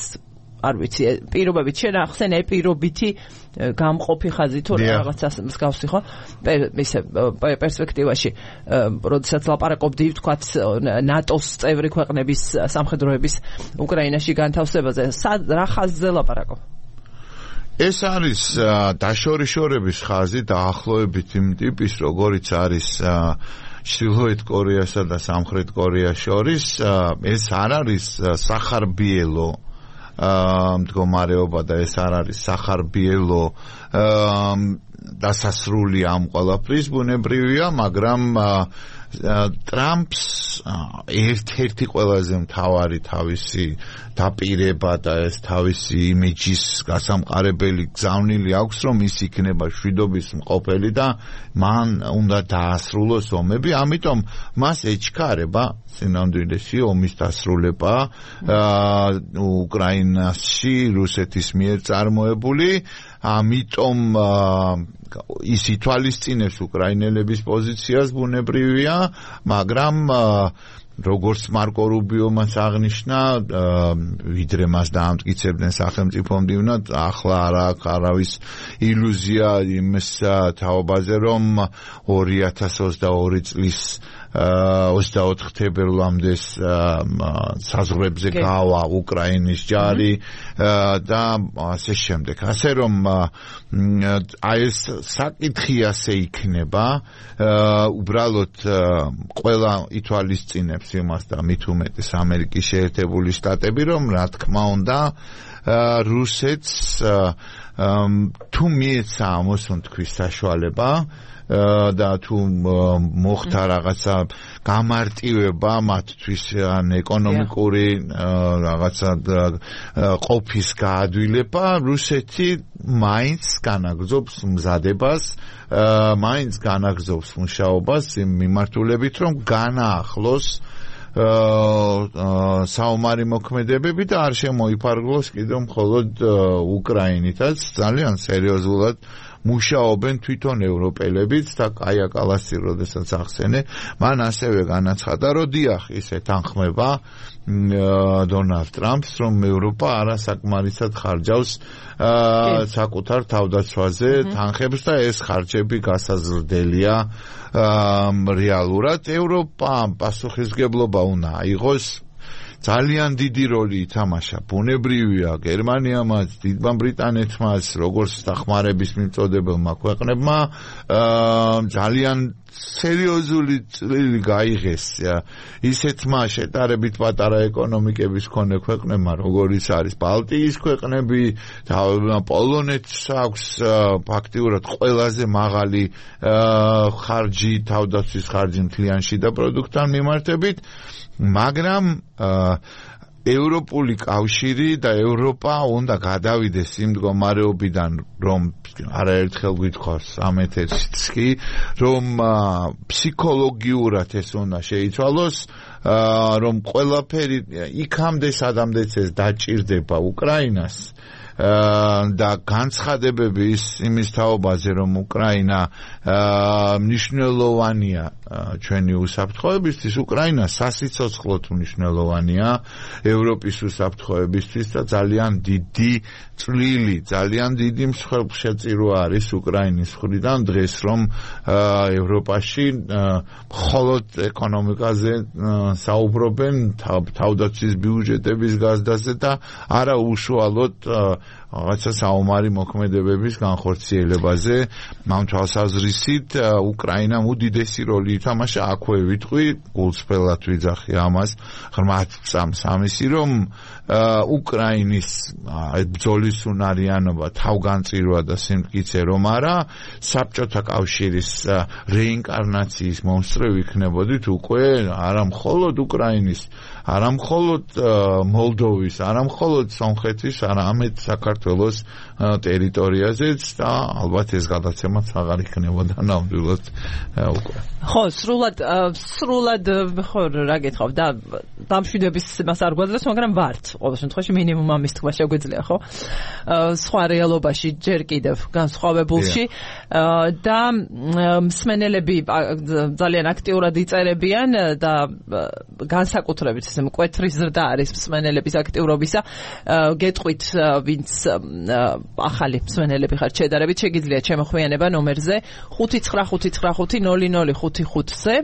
არ ვიცი, პირობებით შენ ახსენე პირობითი გამყოფი ხაზი თუ რაღაცას მსგავსი ხო? ისე პერსპექტივაში, როდესაც ლაპარაკობდი, ვთქვათ, ნატოს წევრი ქვეყნების სამხედროების უკრაინაში განთავსებაზე, რა ხაზზე ლაპარაკობ? ეს არის დაშორიშორების ხაზი დაახლოებით იმ ტიპის, როგორიც არის ჩრდილოეთ კორეასა და სამხრეთ კორეას შორის. ეს არ არის სახარბიელო მდგომარეობა და ეს არ არის სახარბიელო დასასრული ამ ყველაფრის, ბუნებრივია, მაგრამ ტრამპს ერთ-ერთი ყველაზე მთავარი თავისი დაპირება და ეს თავისი იმიჯის გასამყარებელი გზავნილი აქვს, რომ ის იქნება შვიდობის მყოფელი და მან უნდა დაასრულოს ომები, ამიტომ მას ეჩქარება სინამდვილეში ომის დასრულება უკრაინაში რუსეთის მიერ წარმოებული, ამიტომ ის ითვალისწინებს უკრაინელების პოზიციას, ბუნებრივია, მაგრამ როგორც მარკო რუბიომაც აღნიშნა, ვიდრე მას დაამტკიცებდნენ სახელმწიფო მდივნად, ახლა არ აქვს არავის ილუზია იმის თაობაზე, რომ ორი ათას ოცდაორი წლის ოცდაოთხ თებერვლამდე საზღვრებზე გავა უკრაინის ჯარი და ასე შემდეგ. ასე რომ აი ეს საკითხი ასე იქნება, უბრალოდ ყველა ითვალისწინებს იმას და მით უმეტეს ამერიკის შეერთებული შტატები, რომ რა თქმა უნდა რუსეთს თუ მიეცა ამოსონ თქვის საშუალება და თუ მოხდა რაღაცა გამარტივება მათთვის ან ეკონომიკური რაღაცა ყოფის გაადვილება, რუსეთი მაინც განაგრძობს მზადებას, მაინც განაგრძობს მუშაობას იმ მიმართულებით, რომ განაახლოს საომარი მოქმედებები და არ შემოიფარგლოს კიდევ მხოლოდ უკრაინითაც. ძალიან სერიოზულად მუშაობენ თვითონ ევროპელებიც და კაია კალასი როდესაც ახსენე, მან ასევე განაცხადა, რომ დიახ, ის ეთანხმება დონალდ ტრამპს, რომ ევროპა არასაკმარისად ხარჯავს საკუთარ თავდაცვაზე თანხებს და ეს ხარჯები გასაზრდელია რეალურად. ევროპამ პასუხისმგებლობა უნდა აიღოს, ძალიან დიდი როლი ითამაშა, ბუნებრივია, გერმანიამაც, დიდმა ბრიტანეთმაც, როგორც დახმარების მიმწოდებელმა ქვეყნებმა, ძალიან სერიოზული წვლილი გაიღეს ისეთმა შეტარებით პატარა ეკონომიკების მქონე ქვეყნებმა, როგორიც არის ბალტიის ქვეყნები, პოლონეთს აქვს ფაქტიურად ყველაზე მაღალი ხარჯი, თავდაცვის ხარჯი მთლიან შიდა პროდუქტთან მიმართებით, მაგრამ ევროპული კავშირი და ევროპა უნდა გადავიდეს იმ მდგომარეობიდან, რომ არაერთხელ გვითხოვს ამ ეთერშიც კი, რომ ფსიქოლოგიურად ეს უნდა შეიცვალოს, რომ ყველაფერი იქამდე სადამდეც ეს დაჭირდება უკრაინას და განცხადებები ის იმის თაობაზე რომ უკრაინა მნიშვნელოვანია ჩვენი უსაფრთხოებისთვის უკრაინა სასიცოცხლოდ მნიშვნელოვანია ევროპის უსაფრთხოებისთვის და ძალიან დიდი წვლილი ძალიან დიდი მსხვერპლშეწირო არის უკრაინის მხრიდან დღეს რომ ევროპაში მხოლოდ ეკონომიკაზე საუბრობენ თავდაცვის ბიუჯეტების გაზრდაზე და არა უშუალოდ რაღაცა საომარი მოქმედებების განხორციელებაზე ამ თვალსაზრისით უკრაინამ უდიდესი როლი ითამაშა აქვე ვიტყვი გულწრფელად ვიძახი ამას ღრმად წამს ამისი რომ უკრაინის ბრძოლის უნარიანობა თავგანწირვა და სიმტკიცე რომ არა საბჭოთა კავშირის რეინკარნაციის მომსწრე ვიქნებოდით უკვე არა მხოლოდ უკრაინის არა მხოლოდ მოლდოვის არა მხოლოდ სომხეთის არამედ საქართველოს ტერიტორიაზეც და ალბათ ეს გადაცემაც აღარ იქნებოდა ნამდვილად უკვე ხო სრულად სრულად ხო რა გითხავ და დამშვიდების მას არ გვაძლევს მაგრამ ვართ ყოველ შემთხვევაში მინიმუმ ამის თქვა შეგვიძლია ხო სხვა რეალობაში ჯერ კიდევ განსხვავებულში და მსმენელები ძალიან აქტიურად იწერებიან და განსაკუთრებით ესე მკვეთრი ზრდა არის მსმენელების აქტიურობისა გეტყვით ვინც ახალი მსმენელები ხართ შედარებით შეგიძლიათ შემოხვიანება ნომერზე ხუთი ცხრა ხუთი ცხრა ხუთი ნოლი ნოლი ხუთი ხუთზე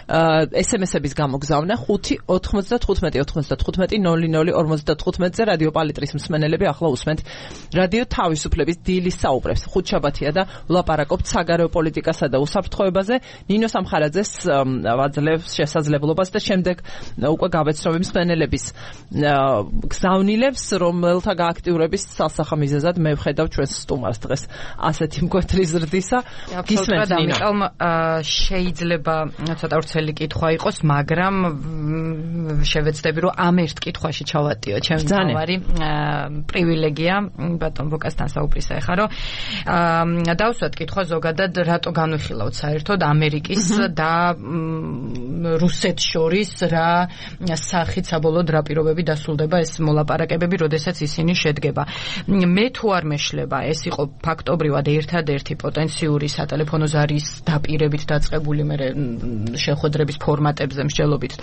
ესემესების გამოგზავნა ხუთი ოთხმოცდათხუთმეტი ოთხმოცდათხუთმეტი ნოლი ნოლი ორმოცდათხუთმეტზე რადიო პალიტრის მსმენელები ახლა უსმენთ რადიო თავისუფლების დილის საუბრებს ხუთშაბათია და ვლაპარაკობთ საგარეო პოლიტიკასა და უსაფრთხოებაზე ნინო სამხარაძეს ვაძლევს შესაძლებლობას და შემდეგ უკვე გავეცნობი მსმენელების გზავნილებს რომელთა გააქტიურების სასახა მიზეზად მე ვხედავ ჩვენს სტუმარს დღეს ასეთი მკვეთრი ზრდისა გისმენთ ამიტომ შეიძლება ცოტა ვრცელი კითხვა იყოს მაგრამ შევეცდები რომ ამ ერთ კითხვაში ჩავატიო ჩემს თავარი პრივილეგია ბატონ ვოკასთან საუბრისა ეხა რომ დავსვათ კითხვა ზოგადად რატო განვიხილავთ საერთოდ ამერიკის და რუსეთს შორის რა სახით საბოლოოდ რა პირობები დასრულდება ეს მოლაპარაკებები როდესაც ისინი შედგება მე თუ არ მეშლება ეს იყო ფაქტობრივად ერთადერთი პოტენციური სატელეფონო ზარის დაპირებით დაწყებული მე შეხვედრების ფორმატებზე მსჯელობით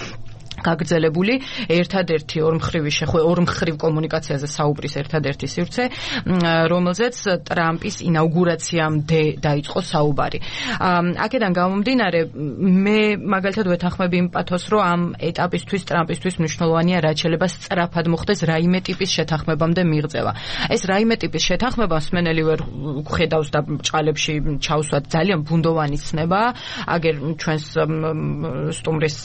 გაგრძელებული ერთადერთი ორმხრივი შეხვედრა ორმხრივ კომუნიკაციაზე საუბრის ერთადერთი სივრცე რომელზეც ტრამპის ინაუგურაციამდე დაიწყო საუბარი აქედან გამომდინარე მე მაგალითად ვეთანხმები იმ პათოს რომ ამ ეტაპისთვის ტრამპისთვის მნიშვნელოვანია რაც შეიძლება სწრაფად მოხდეს რაიმე ტიპის შეთანხმებამდე მიღწევა ეს რაიმე ტიპის შეთანხმება მსმენელი ვერ ხედავს და ჭალებში ჩავსვათ ძალიან ბუნდოვანი ცნება აგერ ჩვენს სტუმრის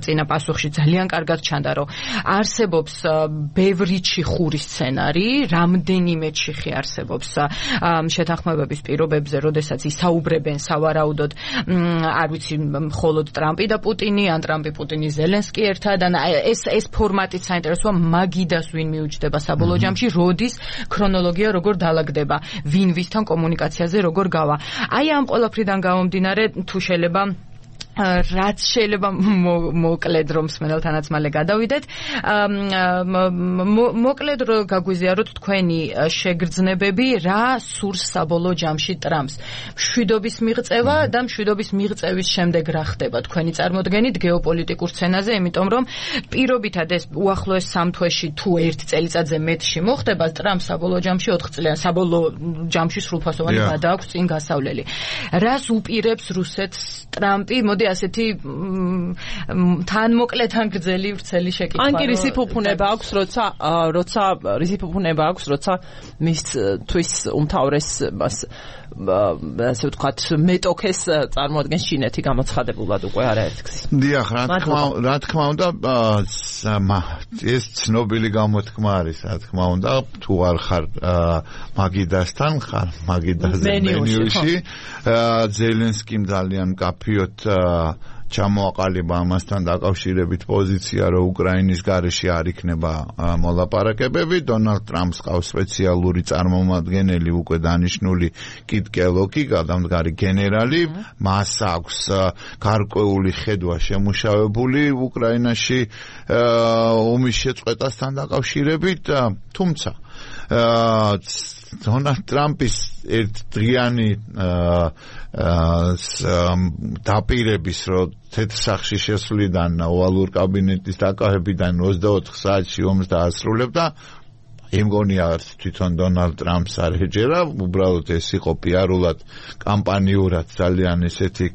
წინა პასუხში ძალიან კარგად ჩანდა რომ არსებობს ბევრი ჩიხური სცენარი რამდენიმე ჩიხი არსებობს შეთანხმებების პირობებზე როდესაც ისაუბრებენ სავარაუდოდ არ ვიცი მხოლოდ ტრამპი და პუტინი ან ტრამპი პუტინი ზელენსკი ერთად ან ეს ეს ფორმატიც საინტერესოა მაგიდას ვინ მიუჯდება საბოლოო ჯამში როდის ქრონოლოგია როგორ დაალაგდება ვინ ვისთან კომუნიკაციაზე როგორ გავა აი ამ ყველაფრიდან გამომდინარე თუ შეიძლება რაც შეიძლება მოკლედ რომ მსმენელთანაც მალე გადავიდეთ მოკლედ რომ გაგვიზიაროთ თქვენი შეგრძნებები რა სურს საბოლოო ჯამში ტრამპს მშვიდობის მიღწევა და მშვიდობის მიღწევის შემდეგ რა ხდება თქვენი წარმოდგენით გეოპოლიტიკურ სცენაზე იმიტომ რომ პირობითად ეს უახლოეს სამ თვეში თუ ერთ წელიწადზე მეტში მოხდება ტრამპს საბოლოო ჯამში ოთხ წლიან საბოლოო ჯამში სრულფასოვანი გადააქვს წინ გასავლელი რას უპირებს რუსეთს ტრამპი მოდი ასეთი თან მოკლე თან გრძელი ვრცელი შეკითხვა. ან კი რისი ფუფუნება აქვს, როცა როცა რისი ფუფუნება აქვს, როცა მის თვის უმთავრეს ასე ვთქვათ, მეტოქეს წარმოადგენს ჩინეთი გამოცხადებულად უკვე არაერთგზის. დიახ, რა თქმა რა თქმა უნდა, ეს ცნობილი გამოთქმა არის, რა თქმა უნდა, თუ არ ხარ მაგიდასთან, ხარ მაგიდაზე მენიუში. ზელენსკიმ ძალიან მკაფიოდ ჩამოაყალიბა ამასთან დაკავშირებით პოზიცია, რომ უკრაინის გარეშე არ იქნება მოლაპარაკებები. დონალდ ტრამპს ყავს სპეციალური წარმომადგენელი უკვე დანიშნული კიტ კელოგი, გადამდგარი გენერალი. მას აქვს გარკვეული ხედვა შემუშავებული უკრაინაში ომის შეწყვეტასთან დაკავშირებით, თუმცა დონალდ ტრამპის ერთდღიანი დაპირების, რომ თეთრსახში შესვლიდან ოვალურ კაბინეტის დაკავებიდან ოცდაოთხ საათში ომს დაასრულებდა, იმგონია თვითონ დონალდ ტრამპს არ ეჯერა, უბრალოდ ეს იყო პიარულად, კამპანიურად ძალიან ესეთი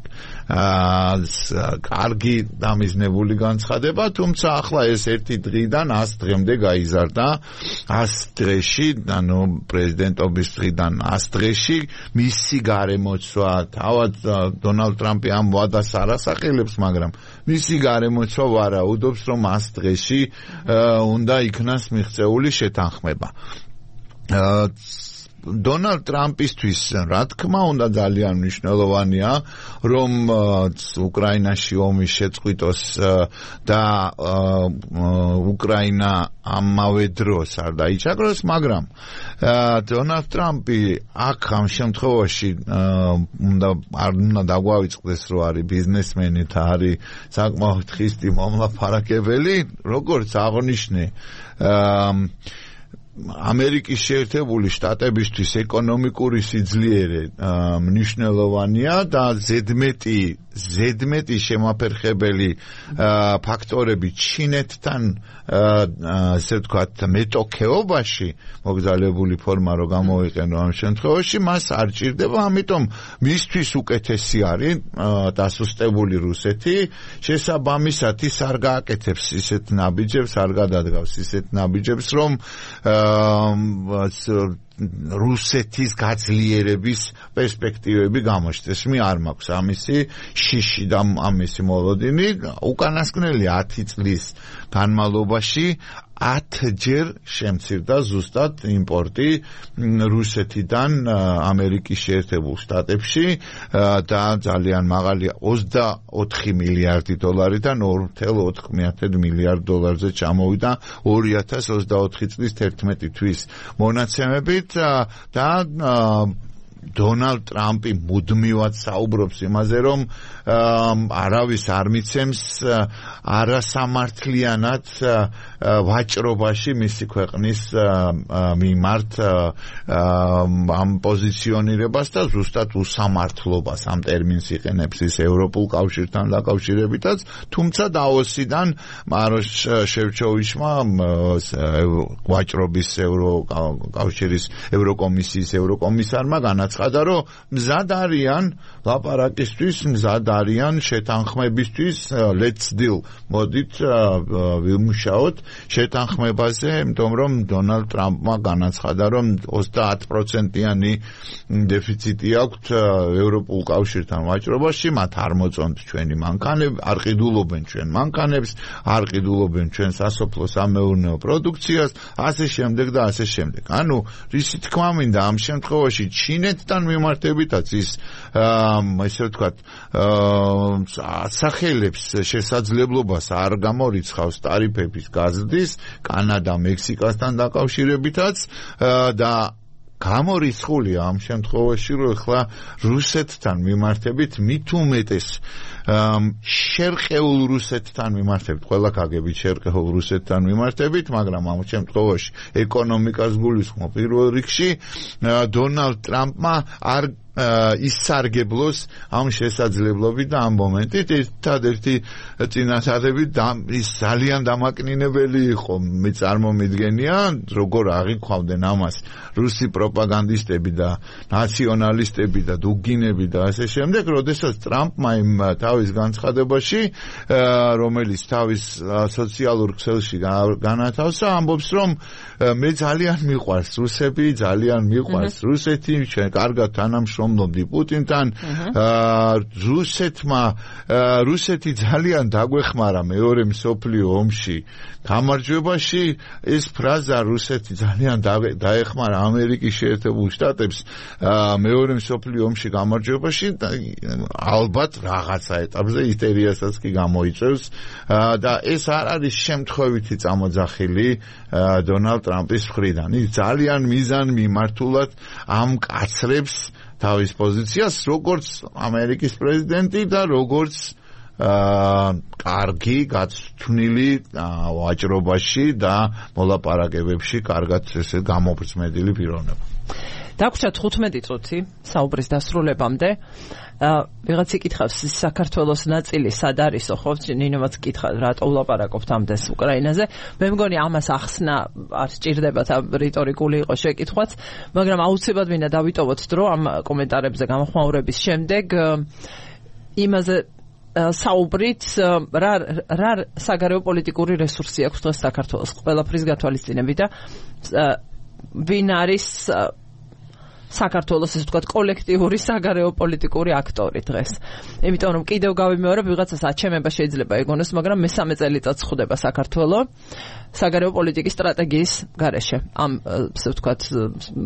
კარგი დამიზნებული განცხადება, თუმცა ახლა ეს ერთი დღიდან ას დღემდე გაიზარდა. ას დღეში, ანუ პრეზიდენტობის დღიდან ას დღეში მისი გარემოცვა, თავად დონალდ ტრამპი ამ ვადას არ ასახელებს, მაგრამ მისი გარემოცვა ვარაუდობს, რომ ას დღეში უნდა იქნას მიღწეული შეთანხმება. დონალდ ტრამპისთვის, რა თქმა უნდა, ძალიან მნიშვნელოვანია, რომ უკრაინაში ომი შეწყვიტოს და უკრაინა ამავე დროს არ დაიჭაგროს, მაგრამ დონალდ ტრამპი აქ ამ შემთხვევაში უნდა არ უნდა დაგვავიწყდეს, რომ არის ბიზნესმენი და არის საკმაოდ ხისტი მომლაპარაკებელი, როგორც აღნიშნე ამერიკის შეერთებული შტატებისთვის ეკონომიკური სიძლიერე მნიშვნელოვანია და ზედმეტი ზედმეტი შემაფერხებელი ფაქტორები ჩინეთთან ასე ვთქვათ მეტოქეობაში მოგზაურებული ფორმა რო გამოვიყენო ამ შემთხვევაში მას არ ჭირდება, ამიტომ მისთვის უკეთესი არის დასუსტებული რუსეთი, შესაბამისად ის არ გააკეთებს ისეთ ნაბიჯებს, არ გადადგავს ისეთ ნაბიჯებს, რომ რუსეთის გაძლიერების პერსპექტივები გამოჩნდეს. მე არ მაქვს ამისი შიში და ამისი მოლოდინი. უკანასკნელი ათი წლის განმავლობაში ათჯერ შემცირდა ზუსტად იმპორტი რუსეთიდან ამერიკის შეერთებულ შტატებში და ძალიან მაღალია ოცდაოთხი მილიარდი დოლარიდან ორი წუთი ოთხ მილიარდ დოლარზე ჩამოვიდა ორი ათას ოცდაოთხი წლის თერთმეტი თვის მონაცემებით და დონალდ ტრამპი მუდმივად საუბრობს იმაზე, რომ არავის არ მიცემს არასამართლიანად ვაჭრობაში მისი ქვეყნის მიმართ ამ პოზიციონირებას და ზუსტად უსამართლობას ამ ტერმინს იყენებს ის ევროპულ კავშირთან დაკავშირებითაც, თუმცა დაოსიდან მაროშ შევჩოვიჩმა ვაჭრობის ევროკავშირის ევროკომისიის ევროკომისარმა განაცხადა, რომ მზად არიან ლაპარაკისთვის, მზად არიან შეთანხმებისთვის, let's deal. მოდით ვიმუშაოთ შეთანხმებაზე, იმიტომ რომ დონალდ ტრამპმა განაცხადა, რომ ოცდაათ პროცენტიანი დეფიციტი აქვს ევროპულ კავშირთან ვაჭრობაში, მათ არ მოწონთ ჩვენი მანქანები, არ ყიდულობენ ჩვენ მანქანებს, არ ყიდულობენ ჩვენ სასოფლო-სამეურნეო პროდუქციას, ასე შემდეგ და ასე შემდეგ. ანუ რისი თქმა მინდა ამ შემთხვევაში ჩინეთთან მიმართებითაც ის ესე ვთქვათ ასახელებს შესაძლებლობას არ გამორიცხავს ტარიფების გაზრდის კანადა მექსიკასთან დაკავშირებითაც და გამორიცხულია ამ შემთხვევაში, რომ ახლა რუსეთთან მიმართებით მით უმეტეს შერყეულ რუსეთთან მიმართებით, ყველა გაგებით შერყეულ რუსეთთან მიმართებით, მაგრამ ამ შემთხვევაში ეკონომიკას გულისხმობ პირველ რიგში, დონალდ ტრამპმა არ ისარგებლოს ამ შესაძლებლობით და ამ მომენტით ერთადერთი წინასწარი ის ძალიან დამაკნინებელი იყო, მე წარმომიდგენია, როგორ აღიქვავდნენ ამას რუსი პროპაგანდისტები და ნაციონალისტები და დუგინები და ასე შემდეგ, როდესაც ტრამპმა იმ თავის განცხადებაში, რომელიც თავის სოციალურ ქსელში განათავსა, ამბობს, რომ მე ძალიან მიყვარს რუსები, ძალიან მიყვარს რუსეთი, ჩვენ კარგად თანამშრომლობთ რომლობდი პუტინთან რუსეთმა რუსეთი ძალიან დაგვეხმარა მეორე მსოფლიო ომში გამარჯვებაში ეს ფრაზა რუსეთი ძალიან დაეხმარა ამერიკის შეერთებულ შტატებს მეორე მსოფლიო ომში გამარჯვებაში ალბათ რაღაცა ეტაპზე ისტერიასაც კი გამოიწვევს და ეს არ არის შემთხვევითი წამოძახილი დონალდ ტრამპის მხრიდან ის ძალიან მიზან მიმართულად ამკაცრებს თავის პოზიციას როგორც ამერიკის პრეზიდენტი და როგორც კარგი გაცვნილი ვაჭრობაში და მოლაპარაკებებში კარგად ესე გამოფრცმედილი პიროვნება. დაგვრჩა თხუთმეტი წუთი საუბრის დასრულებამდე. ვიღაც იკითხავს საქართველოს ნაწილი სად არისო ხო? ნინომაც კითხა რატო ვლაპარაკობთ ამდენს უკრაინაზე. მე მგონი ამას ახსნა არ სჭირდება და რიტორიკული იყო შეკითხვაც, მაგრამ აუცილებლად მინდა დავიტოვოთ დრო ამ კომენტარებზე გამოხმაურების შემდეგ იმაზე საუბრით რა რა საგარეო პოლიტიკური რესურსი აქვს დღეს საქართველოს ყველაფრის გათვალისწინებით და ვინ არის საქართველოს ესე ვთქვათ კოლექტიური საგარეო პოლიტიკური აქტორი დღეს. იმიტომ რომ კიდევ გავიმეორებ ვიღაცას აჩემება შეიძლება ეგონოს, მაგრამ მესამე წელიწადს ხვდება საქართველო საგარეო პოლიტიკის სტრატეგიის გარეშე. ამ ესე ვთქვათ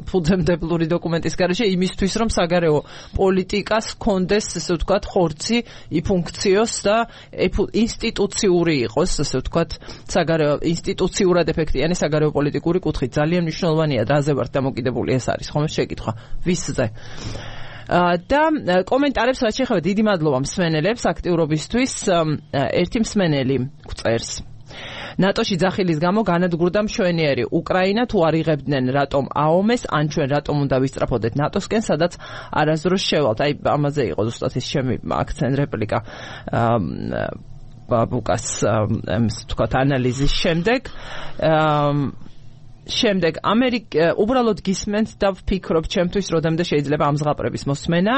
ფუძემდებლური დოკუმენტის გარეშე იმისთვის რომ საგარეო პოლიტიკას კონდეს ესე ვთქვათ ხორცი იფუნქციოს და ინსტიტუციური იყოს ესე ვთქვათ საგარეო ინსტიტუციურად ეფექტიანი საგარეო პოლიტიკური კუთხით. ძალიან მნიშვნელოვანია რაზე ვართ დამოკიდებული ეს არის ხომ შეკითხვა ვისზე და კომენტარებს რაც შეეხება დიდი მადლობა მსმენელებს აქტიურობისთვის ერთი მსმენელი წერს ნატოში ძახილის გამო განადგურდა მშვენიერი უკრაინა თუ არ იღებდნენ რატომ აომეს ან ჩვენ რატომ უნდა ვისწრაფოდეთ ნატოსკენ სადაც არასდროს შევალთ აი ამაზე იყო ზუსტად ის ჩემი აქცენტ რეპლიკა ბაბუკას თქვათ ანალიზის შემდეგ შემდეგ ამერიკა უბრალოდ გისმენთ და ვფიქრობ ჩემთვის როდემდე შეიძლება ამ ზღაპრების მოსმენა.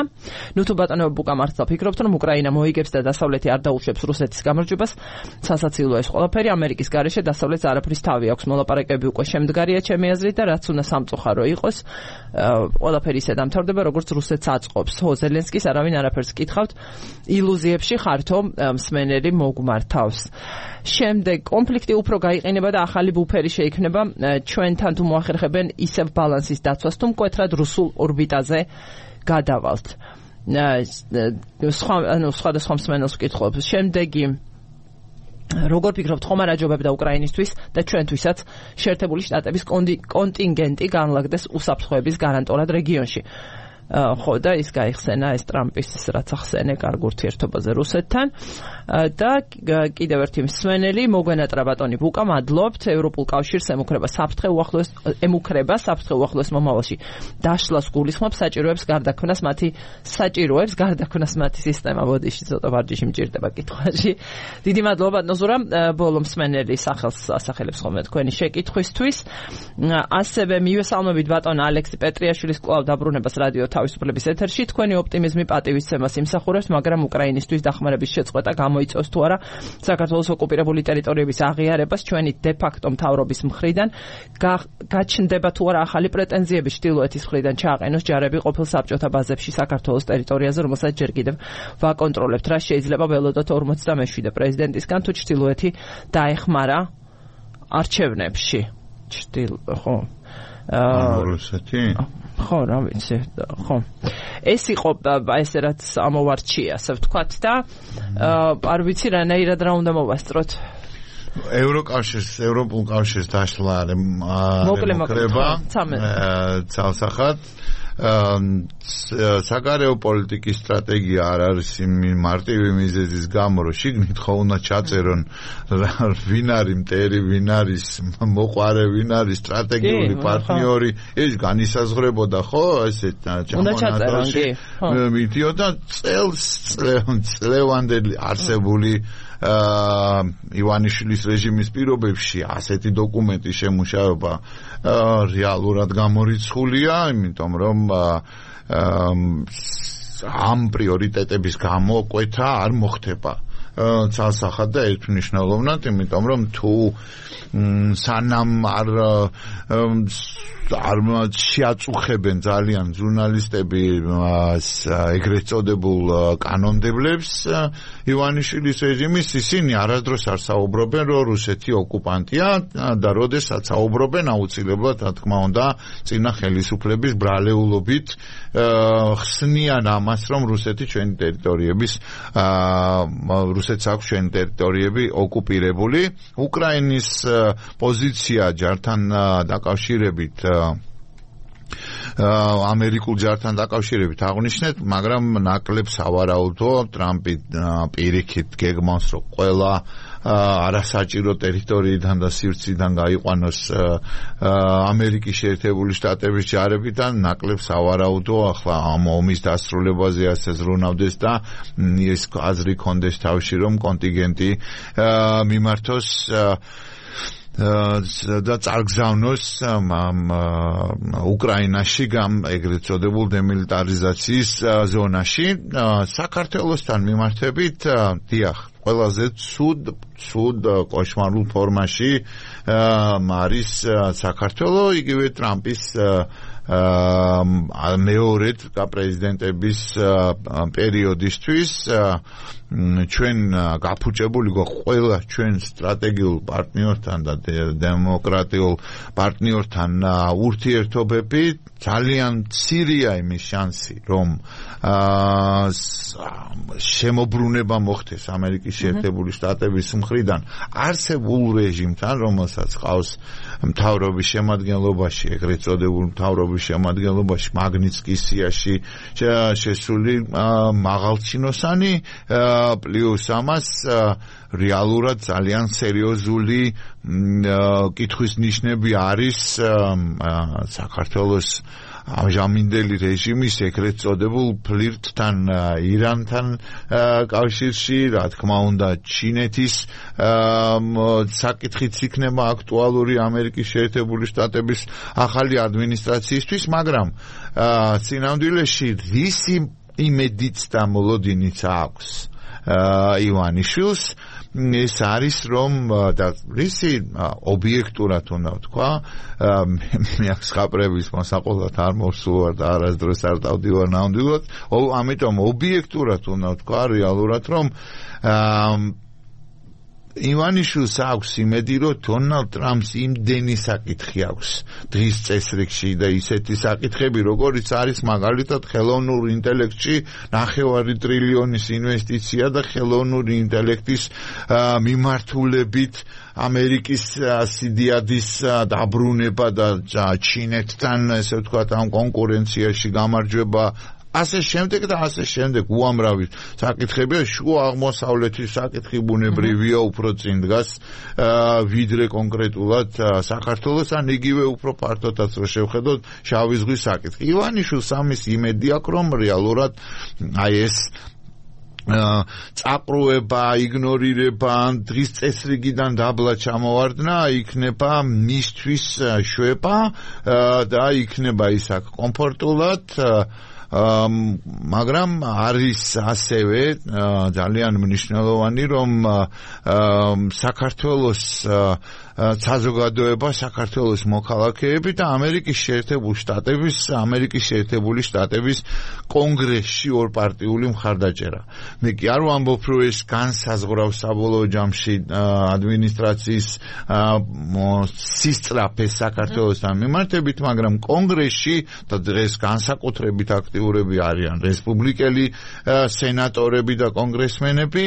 ნუ თუ ბატონო ბუკა მართლა ფიქრობთ რომ უკრაინა მოიგებს და დასავლეთი არ დაუშვებს რუსეთის გამარჯვებას, სასაცილოა ეს ყველაფერი ამერიკის გარეშე დასავლეთს არაფრის თავი აქვს. მოლაპარაკებები უკვე შემდგარია ჩემი აზრით და რაც უნდა სამწუხარო იყოს, ყველაფერი ისე დამთავრდება როგორც რუსეთს აწყობს. ხო ზელენსკის არავინ არაფერს კითხავთ, ილუზიებში ხართო მსმენელი მოგმართავს. შემდეგ კონფლიქტი უფრო გაიყინება და ახალი ბუფერი შეიქმნება ჩვენთან თუ მოახერხებენ ისევ ბალანსის დაცვას თუ მკვეთრად რუსულ ორბიტაზე გადავალთ. სხვა ანუ სხვადასხვა მსმენელს ვკითხულობ. შემდეგი როგორ ფიქრობთ ხომ არ აჯობებდა უკრაინისთვის და ჩვენთვისაც შეერთებული შტატების კონტინგენტი განლაგდეს უსაფრთხოების გარანტულად რეგიონში. ხო და ის გაიხსენა ეს ტრამპის რაც ახსენე კარგ ურთიერთობაზე რუსეთთან და კიდევ ერთი მსმენელი მოგვენატრა ბატონი ბუკა მადლობთ ევროპულ კავშირს ემუქრება საფრთხე უახლოეს ემუქრება საფრთხე უახლოეს მომავალში დაშლას გულისხმობს საჭიროებს გარდაქმნას მათი საჭიროებს გარდაქმნას მათი სისტემა ბოდიში ცოტა ვარჯიში მჭირდება კითხვაში დიდი მადლობა ბატონო ზურა ბოლო მსმენელი სახელს ასახელებს ხოლმე თქვენი შეკითხვისთვის ასევე მივესალმებით ბატონ ალექსი პეტრიაშვილის კვლავ დაბრუნებას რადიო თავისუფლების ეთერში თქვენი ოპტიმიზმი პატივისცემას იმსახურებს, მაგრამ უკრაინისთვის დახმარების შეწყვეტა გამოიწვევს თუ არა საქართველოს ოკუპირებული ტერიტორიების აღიარებას ჩვენი დე-ფაქტო მთავრობის მხრიდან გაჩნდება თუ არა ახალი პრეტენზიები ჩრდილოეთის მხრიდან ჩააყენოს ჯარები ყოფილ საბჭოთა ბაზებში საქართველოს ტერიტორიაზე, რომელსაც ჯერ კიდევ ვაკონტროლებთ. რა შეიძლება ველოდოთ ორმოცდამეშვიდე პრეზიდენტისგან თუ ჩრდილოეთი დაეხმარა არჩევნებში? ჩრდილ ხო რუსეთი ხო რა ვიცი ხო ეს იყო ესე რაც ამოვარჩია ასე ვთქვათ და არ ვიცი რანაირად რა უნდა მოვასწროთ ევროკავშირს ევროპულ კავშირს დაშლა მოკრება ცალსახად საგარეო პოლიტიკის სტრატეგია არ არის მარტივი მიზეზის გამო რომ შიგნით ხო უნდა ჩაწერონ ვინ არის მტერი ვინ არის მოყვარე ვინ არის სტრატეგიული პარტნიორი ეს განისაზღვრებოდა ხო ესე ჩამონადოში მიდიოდა წელს წლევანდელი არსებული ივანიშვილის რეჟიმის პირობებში ასეთი დოკუმენტის შემუშავება რეალურად გამორიცხულია, იმიტომ რომ ამ პრიორიტეტების გამო კვეთა არ მოხდება ცალსახად და ერთმნიშვნელოვნად, იმიტომ რომ თუ სანამ არ არ შეაწუხებენ ძალიან ჟურნალისტები ეგრეთ წოდებულ კანონმდებლებს ივანიშვილის რეჟიმის, ისინი არასდროს არ საუბრობენ, რომ რუსეთი ოკუპანტია და როდესაც საუბრობენ, აუცილებლად, რა თქმა უნდა, წინა ხელისუფლების ბრალეულობით ხსნიან ამას, რომ რუსეთი ჩვენი ტერიტორიების რუსეთს აქვს ჩვენი ტერიტორიები ოკუპირებული. უკრაინის პოზიცია ჯართან დაკავშირებით ამერიკულ ჯართან დაკავშირებით აღნიშნეთ, მაგრამ ნაკლებ სავარაუდოა ტრამპი პირიქით გეგმავს, რომ ყველა არასაჭირო ტერიტორიიდან და სივრციდან გაიყვანოს ამერიკის შეერთებული შტატების ჯარებიდან, ნაკლებ სავარაუდოა ახლა ამ ომის დასრულებაზე ასე ზრუნავდეს და ეს აზრი კონდეს თავში, რომ კონტინგენტი მიმართოს და წარგზავნოს უკრაინაში გამ ეგრეთ წოდებულ დემილიტარიზაციის ზონაში. საქართველოსთან მიმართებით, დიახ, ყველაზე ცუდ ცუდ კოშმარულ ფორმაში არის საქართველო, იგივე ტრამპის მეორედ პრეზიდენტების პერიოდისთვის ჩვენ გაფუჭებული ყველა ჩვენ სტრატეგიულ პარტნიორთან და დემოკრატიულ პარტნიორთან ურთიერთობები ძალიან მცირეა იმის შანსი, რომ შემოbrunება მოხდეს ამერიკის შეერთებული შტატების მხრიდან არსებულ რეჟიმთან, რომელსაც ყავს მთავრობის შემადგენლობაში, ეგრეთ წოდებულ მთავრობის შემადგენლობაში მაგნიცკის სიაში შესული მაღალჩინოსანი, პლუს ამას რეალურად ძალიან სერიოზული კითხვის ნიშნები არის საქართველოს ამჟამინდელი რეჟიმის ეგრეთ წოდებულ ფლირტთან ირანთან კავშირში, რა თქმა უნდა, ჩინეთის საკითხიც იქნება აქტუალური ამერიკის შეერთებული შტატების ახალი ადმინისტრაციისთვის, მაგრამ სინამდვილეში რისი იმედიც და მოლოდინიც აქვს ივანიშვილს, ეს არის, რომ და რისი ობიექტურად უნდა ვთქვა, მე აქ ხაპრების მოსაყოლად არ მოვსულვარ და არასდროს არ დავდივარ ნამდვილად, ამიტომ ობიექტურად უნდა ვთქვა რეალურად, რომ ივანიშვილს აქვს იმედი, რომ დონალდ ტრამპს იმდენი საკითხი აქვს დღის წესრიგში და ისეთი საკითხები, როგორიც არის მაგალითად ხელოვნურ ინტელექტში ნახევარი ტრილიონის ინვესტიცია და ხელოვნური ინტელექტის მიმართულებით ამერიკის სიდიადის დაბრუნება და ჩინეთთან, ესე ვთქვათ, ამ კონკურენციაში გამარჯვება, ასე შემდეგ და ასე შემდეგ უამრავი საკითხებია. შუა აღმოსავლეთის საკითხი ბუნებრივია უფრო წინ დგას ვიდრე კონკრეტულად საქართველოს, ან იგივე უფრო ფართოდაც რო შევხედოთ შავი ზღვის საკითხი. ივანიშვილს ამის იმედი აქვს, რომ რეალურად აი ეს წაყრუება, იგნორირება, დღის წესრიგიდან დაბლა ჩამოვარდნა იქნება მისთვის შვება და იქნება ის აქ კომფორტულად, მაგრამ არის ასევე ძალიან მნიშვნელოვანი, რომ საქართველოს საზოგადოება, საქართველოს მოქალაქეები და ამერიკის შეერთებული შტატების ამერიკის შეერთებული შტატების კონგრესში ორპარტიული მხარდაჭერა. მე კი არ ვამბობ, რომ ეს განსაზღვრავს საბოლოო ჯამში ადმინისტრაციის სისწრაფეს საქართველოსთან მიმართებით, მაგრამ კონგრესში და დღეს განსაკუთრებით აქტიურები არიან რესპუბლიკელი სენატორები და კონგრესმენები,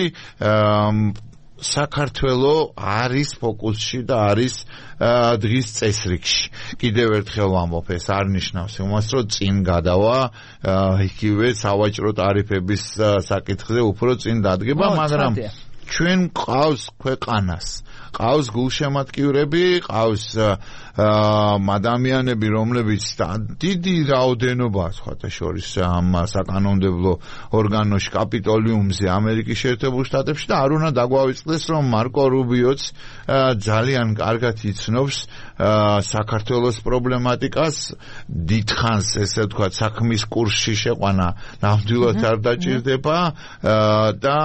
საქართველო არის ფოკუსში და არის დღის წესრიგში. კიდევ ერთხელ ვამბობ, ეს არ ნიშნავს იმას, რომ წინ გადავა იგივე სავაჭრო ტარიფების საკითხზე უფრო წინ დადგება, მაგრამ ჩვენ ყავს ქვეყანას, ყავს გულშემატკივრები, ყავს ადამიანები, რომლებიც დიდი რაოდენობა, სხვათა შორის ამ საკანონმდებლო ორგანოში, კაპიტოლიუმზე ამერიკის შეერთებულ შტატებში და არ უნდა დაგვავიწყდეს, რომ მარკო რუბიოც ძალიან კარგად იცნობს საქართველოს პრობლემატიკას დიდხანს ესე ვთქვათ საქმის კურსში შეყვანა ნამდვილად არ დაჭირდება და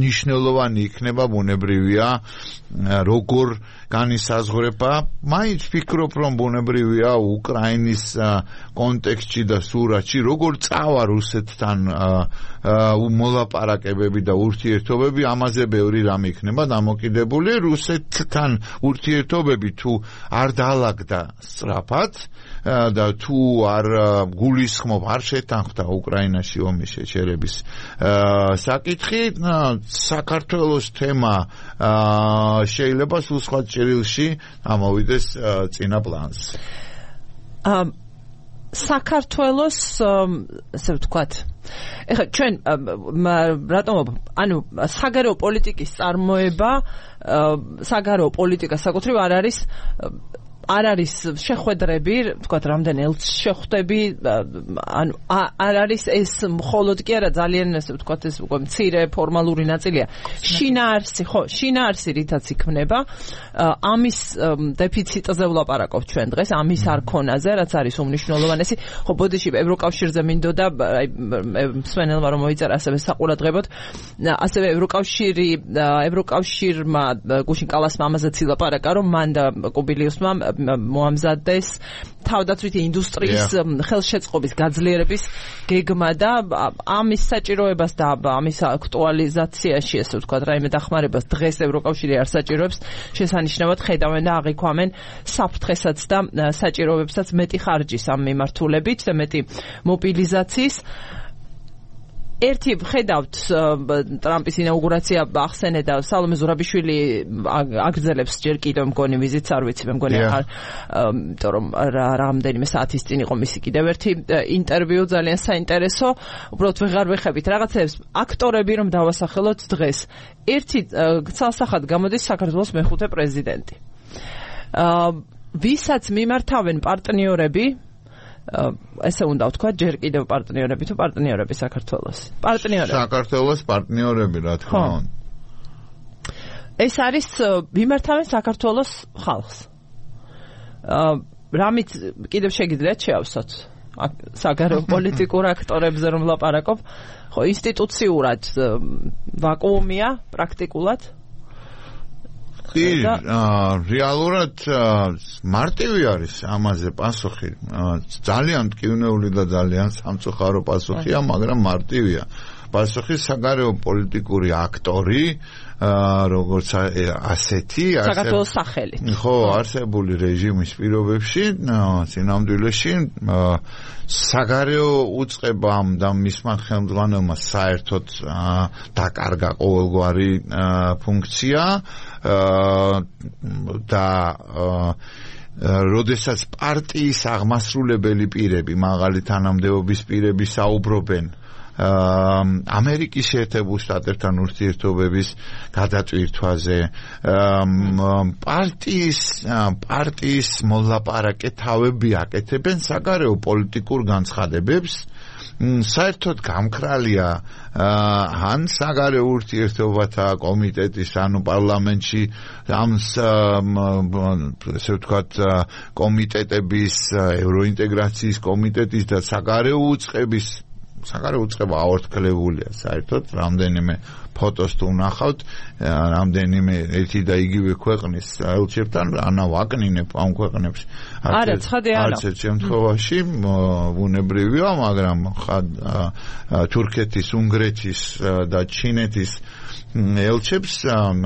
ნიშნულოვანი იქნება ბუნებრივია როგორ განისაზღვრება მაინც ფიქრობ რომ ბუნებრივია უკრაინის კონტექსტში და სურათში როგორ წავა რუსეთთან მოლაპარაკებები და ურთიერთობები ამაზე ბევრი რამ იქნება დამოკიდებული რუსეთთან ურთიერთობები თუ არ დაალაგდა სწრაფად და თუ არ გულისხმობ არ შეთანხმდა უკრაინაში ომის შეჩერების საკითხი საქართველოს თემა შეიძლება სულ სხვა ჭრილში ამოვიდეს წინა პლანს. საქართველოს ასე ვთქვათ ეხლა ჩვენ რატომ ანუ საგარეო პოლიტიკის წარმოება საგარეო პოლიტიკა საკუთრივ არ არის არ არის შეხვედრები, ვთქვათ, რამდენი ელჩს შეხვდები, ანუ არ არის ეს მხოლოდ კი არა ძალიან ესე ვთქვათ ეს უკვე მცირე ფორმალური ნაწილია. შინაარსი, ხო, შინაარსი რითაც იქმნება, ამის დეფიციტზე ვლაპარაკობ ჩვენ დღეს, ამის არქონაზე, რაც არის უმნიშვნელოვანესი. ხო, ბოდიში ევროკავშირზე მინდოდა, აი მსმენელმა რომ მოიწერა ასევე საყურადღებოდ, ასევე ევროკავშირი, ევროკავშირმა გუშინ კალასმა ამაზეც ილაპარაკა, რომ მან და კუბილიუსმა მოამზადეს თავდაცვითი ინდუსტრიის ხელშეწყობის გაძლიერების გეგმა და ამის საჭიროებას და ამის აქტუალიზაციაში ესე ვთქვათ რაიმე დახმარებას დღეს ევროკავშირი არ საჭიროებს შესანიშნავად ხედავენ და აღიქვამენ საფრთხესაც და საჭიროებებსაც მეტი ხარჯის ამ მიმართულებით და მეტი მობილიზაციის ერთი ხედავთ ტრამპის ინაუგურაცია ახსენე და სალომე ზურაბიშვილი აგრძელებს ჯერ კიდევ მგონი ვიზიტს არ ვიცი მე მგონი არ იმიტომ რომ რამდენიმე საათის წინ იყო მისი კიდევ ერთი ინტერვიუ ძალიან საინტერესო უბრალოდ ვეღარ ვეხებით რაღაცებს აქტორები რომ დავასახელოთ დღეს ერთი ცალსახად გამოდის საქართველოს მეხუთე პრეზიდენტი ვისაც მიმართავენ პარტნიორები ესე უნდა ვთქვა ჯერ კიდევ პარტნიორები თუ პარტნიორები საქართველოს პარტნიორები საქართველოს პარტნიორები რა თქმა უნდა ეს არის მიმართავენ საქართველოს ხალხს რამით კიდევ შეგიძლიათ შეავსოთ საგარეო პოლიტიკურ აქტორებზე რომ ვლაპარაკობ ხო ინსტიტუციურად ვაკუუმია პრაქტიკულად კი, რეალურად მარტივი არის ამაზე პასუხი. ძალიან მტკივნეული და ძალიან სამწუხარო პასუხია, მაგრამ მარტივია. პასუხი საგარეო პოლიტიკური აქტორი, როგორც ასეთი, საქართველოს სახელით. ხო, არსებული რეჟიმის პირობებში, წინამძღოლში საგარეო უწყებამ და მისმა ხელმძღვანელმა საერთოდ დაკარგა ყოველგვარი ფუნქცია და როდესაც პარტიის აღმასრულებელი პირები, მაღალი თანამდებობის პირები საუბრობენ ამერიკის შეერთებულ შტატებთან ურთიერთობების გადაწყვეტაზე პარტიის პარტიის მოლაპარაკეთავები აკეთებენ საგარეო პოლიტიკურ განცხადებებს საერთოდ გამქრალია ან საგარეო ურთიერთობათა კომიტეტის ანუ პარლამენტში ამ ესე ვთქვათ კომიტეტების ევროინტეგრაციის კომიტეტის და საგარეო უწყების საგარეო უწყება აორთქლებულია საერთოდ რამდენიმე ფოტოს თუ ვნახავთ რამდენიმე ერთი და იგივე ქვეყნის ელჩებთან ანა ვაკნინებ ამ ქვეყნებს არა ცხადია არა არც ერთ შემთხვევაში ბუნებრივია მაგრამ თურქეთის უნგრეთის და ჩინეთის ელჩებს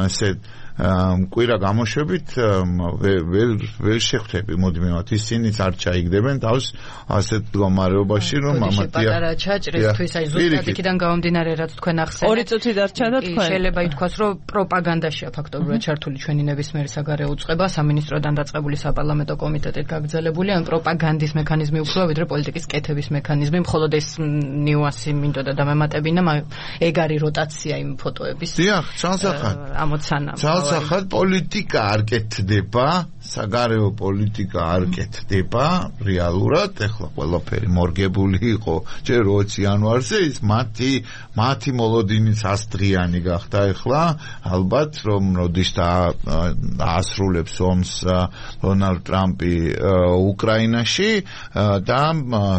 ასე კვირა გამოშვებით ვერ ვერ შეხვდები მოდმევად ისინიც არ ჩაიგდებენ თავს ასეთ მდგომარეობაში რომ ამათია პატარა ჩაჭრისთვის აი ზუსტად იქიდან გამომდინარე რაც თქვენ ახსენეთ ორი წუთი დარჩა და თქვენ შეიძლება ითქვას რომ პროპაგანდაშია ფაქტობრივად ჩართული ჩვენი ნებისმიერი საგარეო უწყება სამინისტროდან დაწყებული საპარლამენტო კომიტეტით გაგრძელებული ან პროპაგანდის მექანიზმი უფრო ვიდრე პოლიტიკის კეთების მექანიზმი მხოლოდ ეს ნიუანსი მინდოდა დამემატებინა ეგ არის როტაცია იმ ფოტოების დიახ ცალსახად ამოცანა ასახად პოლიტიკა არ კეთდება, საგარეო პოლიტიკა არ კეთდება რეალურად, ეხლა ყველაფერი მორგებული იყო ჯერ ოცი იანვარზე, ის მათი მათი მოლოდინიც ასდღიანი გახდა ეხლა, ალბათ რომ როდის დაასრულებს ომს დონალდ ტრამპი უკრაინაში და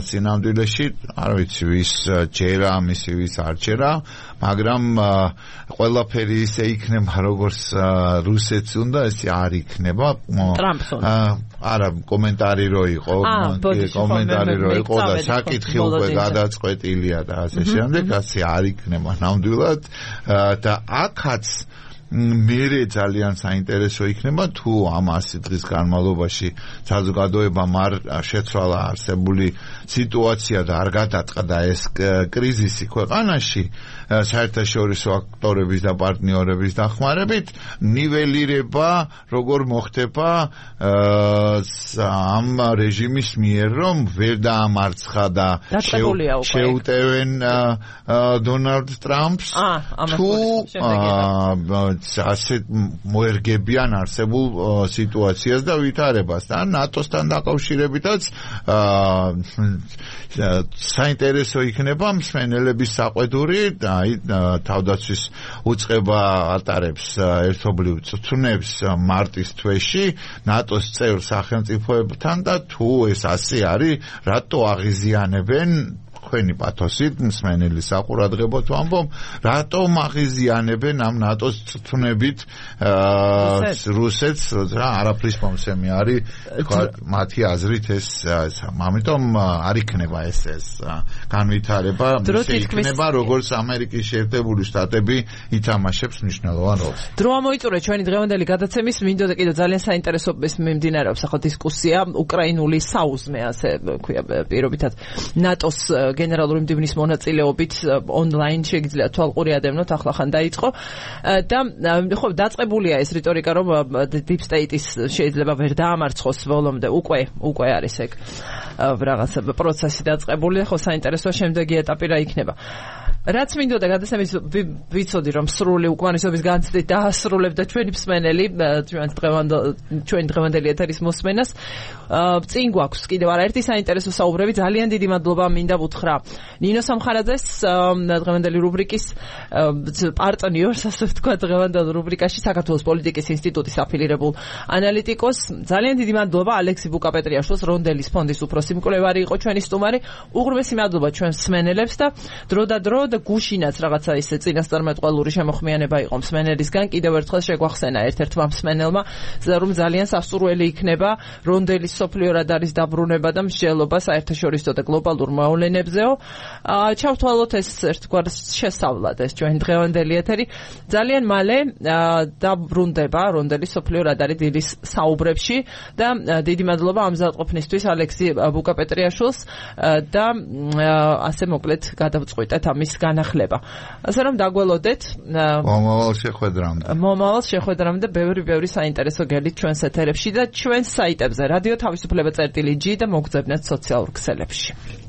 სინამდვილეში არ ვიცი ვის ჯერა, მისი ვის არ ჯერა, მაგრამ ყველაფერი ისე იქნება როგორც რუსეთს უნდა, ესე არ იქნება. არა, კომენტარი რო იყო, კომენტარი რო იყო და საკითხი უკვე გადაწყვეტილია და ასე შემდეგ, ასე არ იქნება ნამდვილად და აქაც მერე ძალიან საინტერესო იქნება თუ ამ ასი დღის განმავლობაში საზოგადოებამ არ შეცვალა არსებული სიტუაცია და არ გადაწყდა ეს კრიზისი ქვეყანაში საერთაშორისო აქტორების და პარტნიორების დახმარებით, ნიველირება როგორ მოხდება ამ რეჟიმის მიერ, რომ ვერ დაამარცხა და შეუტევენ დონალდ ტრამპს, თუ ასე მოერგებიან არსებულ სიტუაციას და ვითარებას და ნატოსთან დაკავშირებითაც საინტერესო იქნება მსმენელების საყვედური, აი თავდაცვის უწყება ატარებს ერთობლივ წვნებს მარტის თვეში ნატოს წევრ სახელმწიფოებთან და თუ ეს ასე არის, რატო აღიზიანებენ თქვენი პათოსით მსმენელი საყურადღებოთ ვამბობ, რატომ აღიზიანებენ ამ ნატოს წვნებით რუსეთს, რა არაფრის მომსემი არის, თქვა მათი აზრით ეს, ამიტომ არ იქნება ეს ეს განვითარება, იქნება როგორც ამერიკის შეერთებული შტატები ითამაშებს მნიშვნელოვან როლს. დრო ამოიწურეთ ჩვენი დღევანდელი გადაცემის, მინდოდა კიდევ ძალიან საინტერესო მიმდინარეობს ახლა დისკუსია უკრაინული საუზმე, ასე ქვია პირობითად ნატოს გენერალური მდივნის მონაწილეობით ონლაინ შეგიძლიათ თვალყური ადევნოთ, ახლა ხან დაიწყო და ხო დაწყებულია ეს რიტორიკა, რომ deep state-ის შეიძლება ვერ დაამარცხოს ბოლომდე, უკვე უკვე არის ეგ რაღაც პროცესი დაწყებული, ხო საინტერესოა შემდეგი ეტაპი რა იქნება. რაც მინდოდა გადაცემის ვიცოდი რომ სრული უკმარისობის განცდით დაასრულებდა ჩვენი მსმენელი ჩვენ ჩვენი დღევანდელი ეთერის მოსმენას. წინ გვაქვს კიდევ არაერთი საინტერესო საუბრები, ძალიან დიდი მადლობა მინდა ვუთხრა ნინო სამხარაძეს, დღევანდელი რუბრიკის პარტნიორს, ასე ვთქვა, დღევანდელ რუბრიკაში საქართველოს პოლიტიკის ინსტიტუტის აფილირებულ ანალიტიკოს. ძალიან დიდი მადლობა ალექსი ბუკაპეტრიაშვილს, რონდელის ფონდის უფროსი მკვლევარი იყო ჩვენი სტუმარი. უღრმესი მადლობა ჩვენ მსმენელებს და დრო და დრო და გუშინაც რაღაცა ისე წინასწარმეტყველური შემოხმიანება იყო მსმენელისგან. კიდევ ერთხელ შეგვახსენა ერთ-ერთმა მსმენელმა, რომ ძალიან სასურველი იქნება რონდელის სოფლიო რადარის დაბრუნება და მსჯელობა საერთაშორისო და გლობალურ მოვლენებზეო. ჩავთვალოთ ეს ერთგვარ შესავლად ეს ჩვენი დღევანდელი ეთერი. ძალიან მალე დაბრუნდება რონდელის სოფლიო რადარი დილის საუბრებში და დიდი მადლობა ამზადყოფნისთვის ალექსი ბუკაპეტრიაშვილს და ასე მოკლედ გადავწყვიტეთ ამის განახლება. ასე რომ დაგველოდეთ მომავალ შეხვედრამდე. მომავალ შეხვედრამდე ბევრი ბევრი საინტერესო გელით ჩვენს ეთერებში და ჩვენს საიტებზე რადიო თავისუფლება წერტილი ჯი და მოგძებნეთ სოციალურ ქსელებში.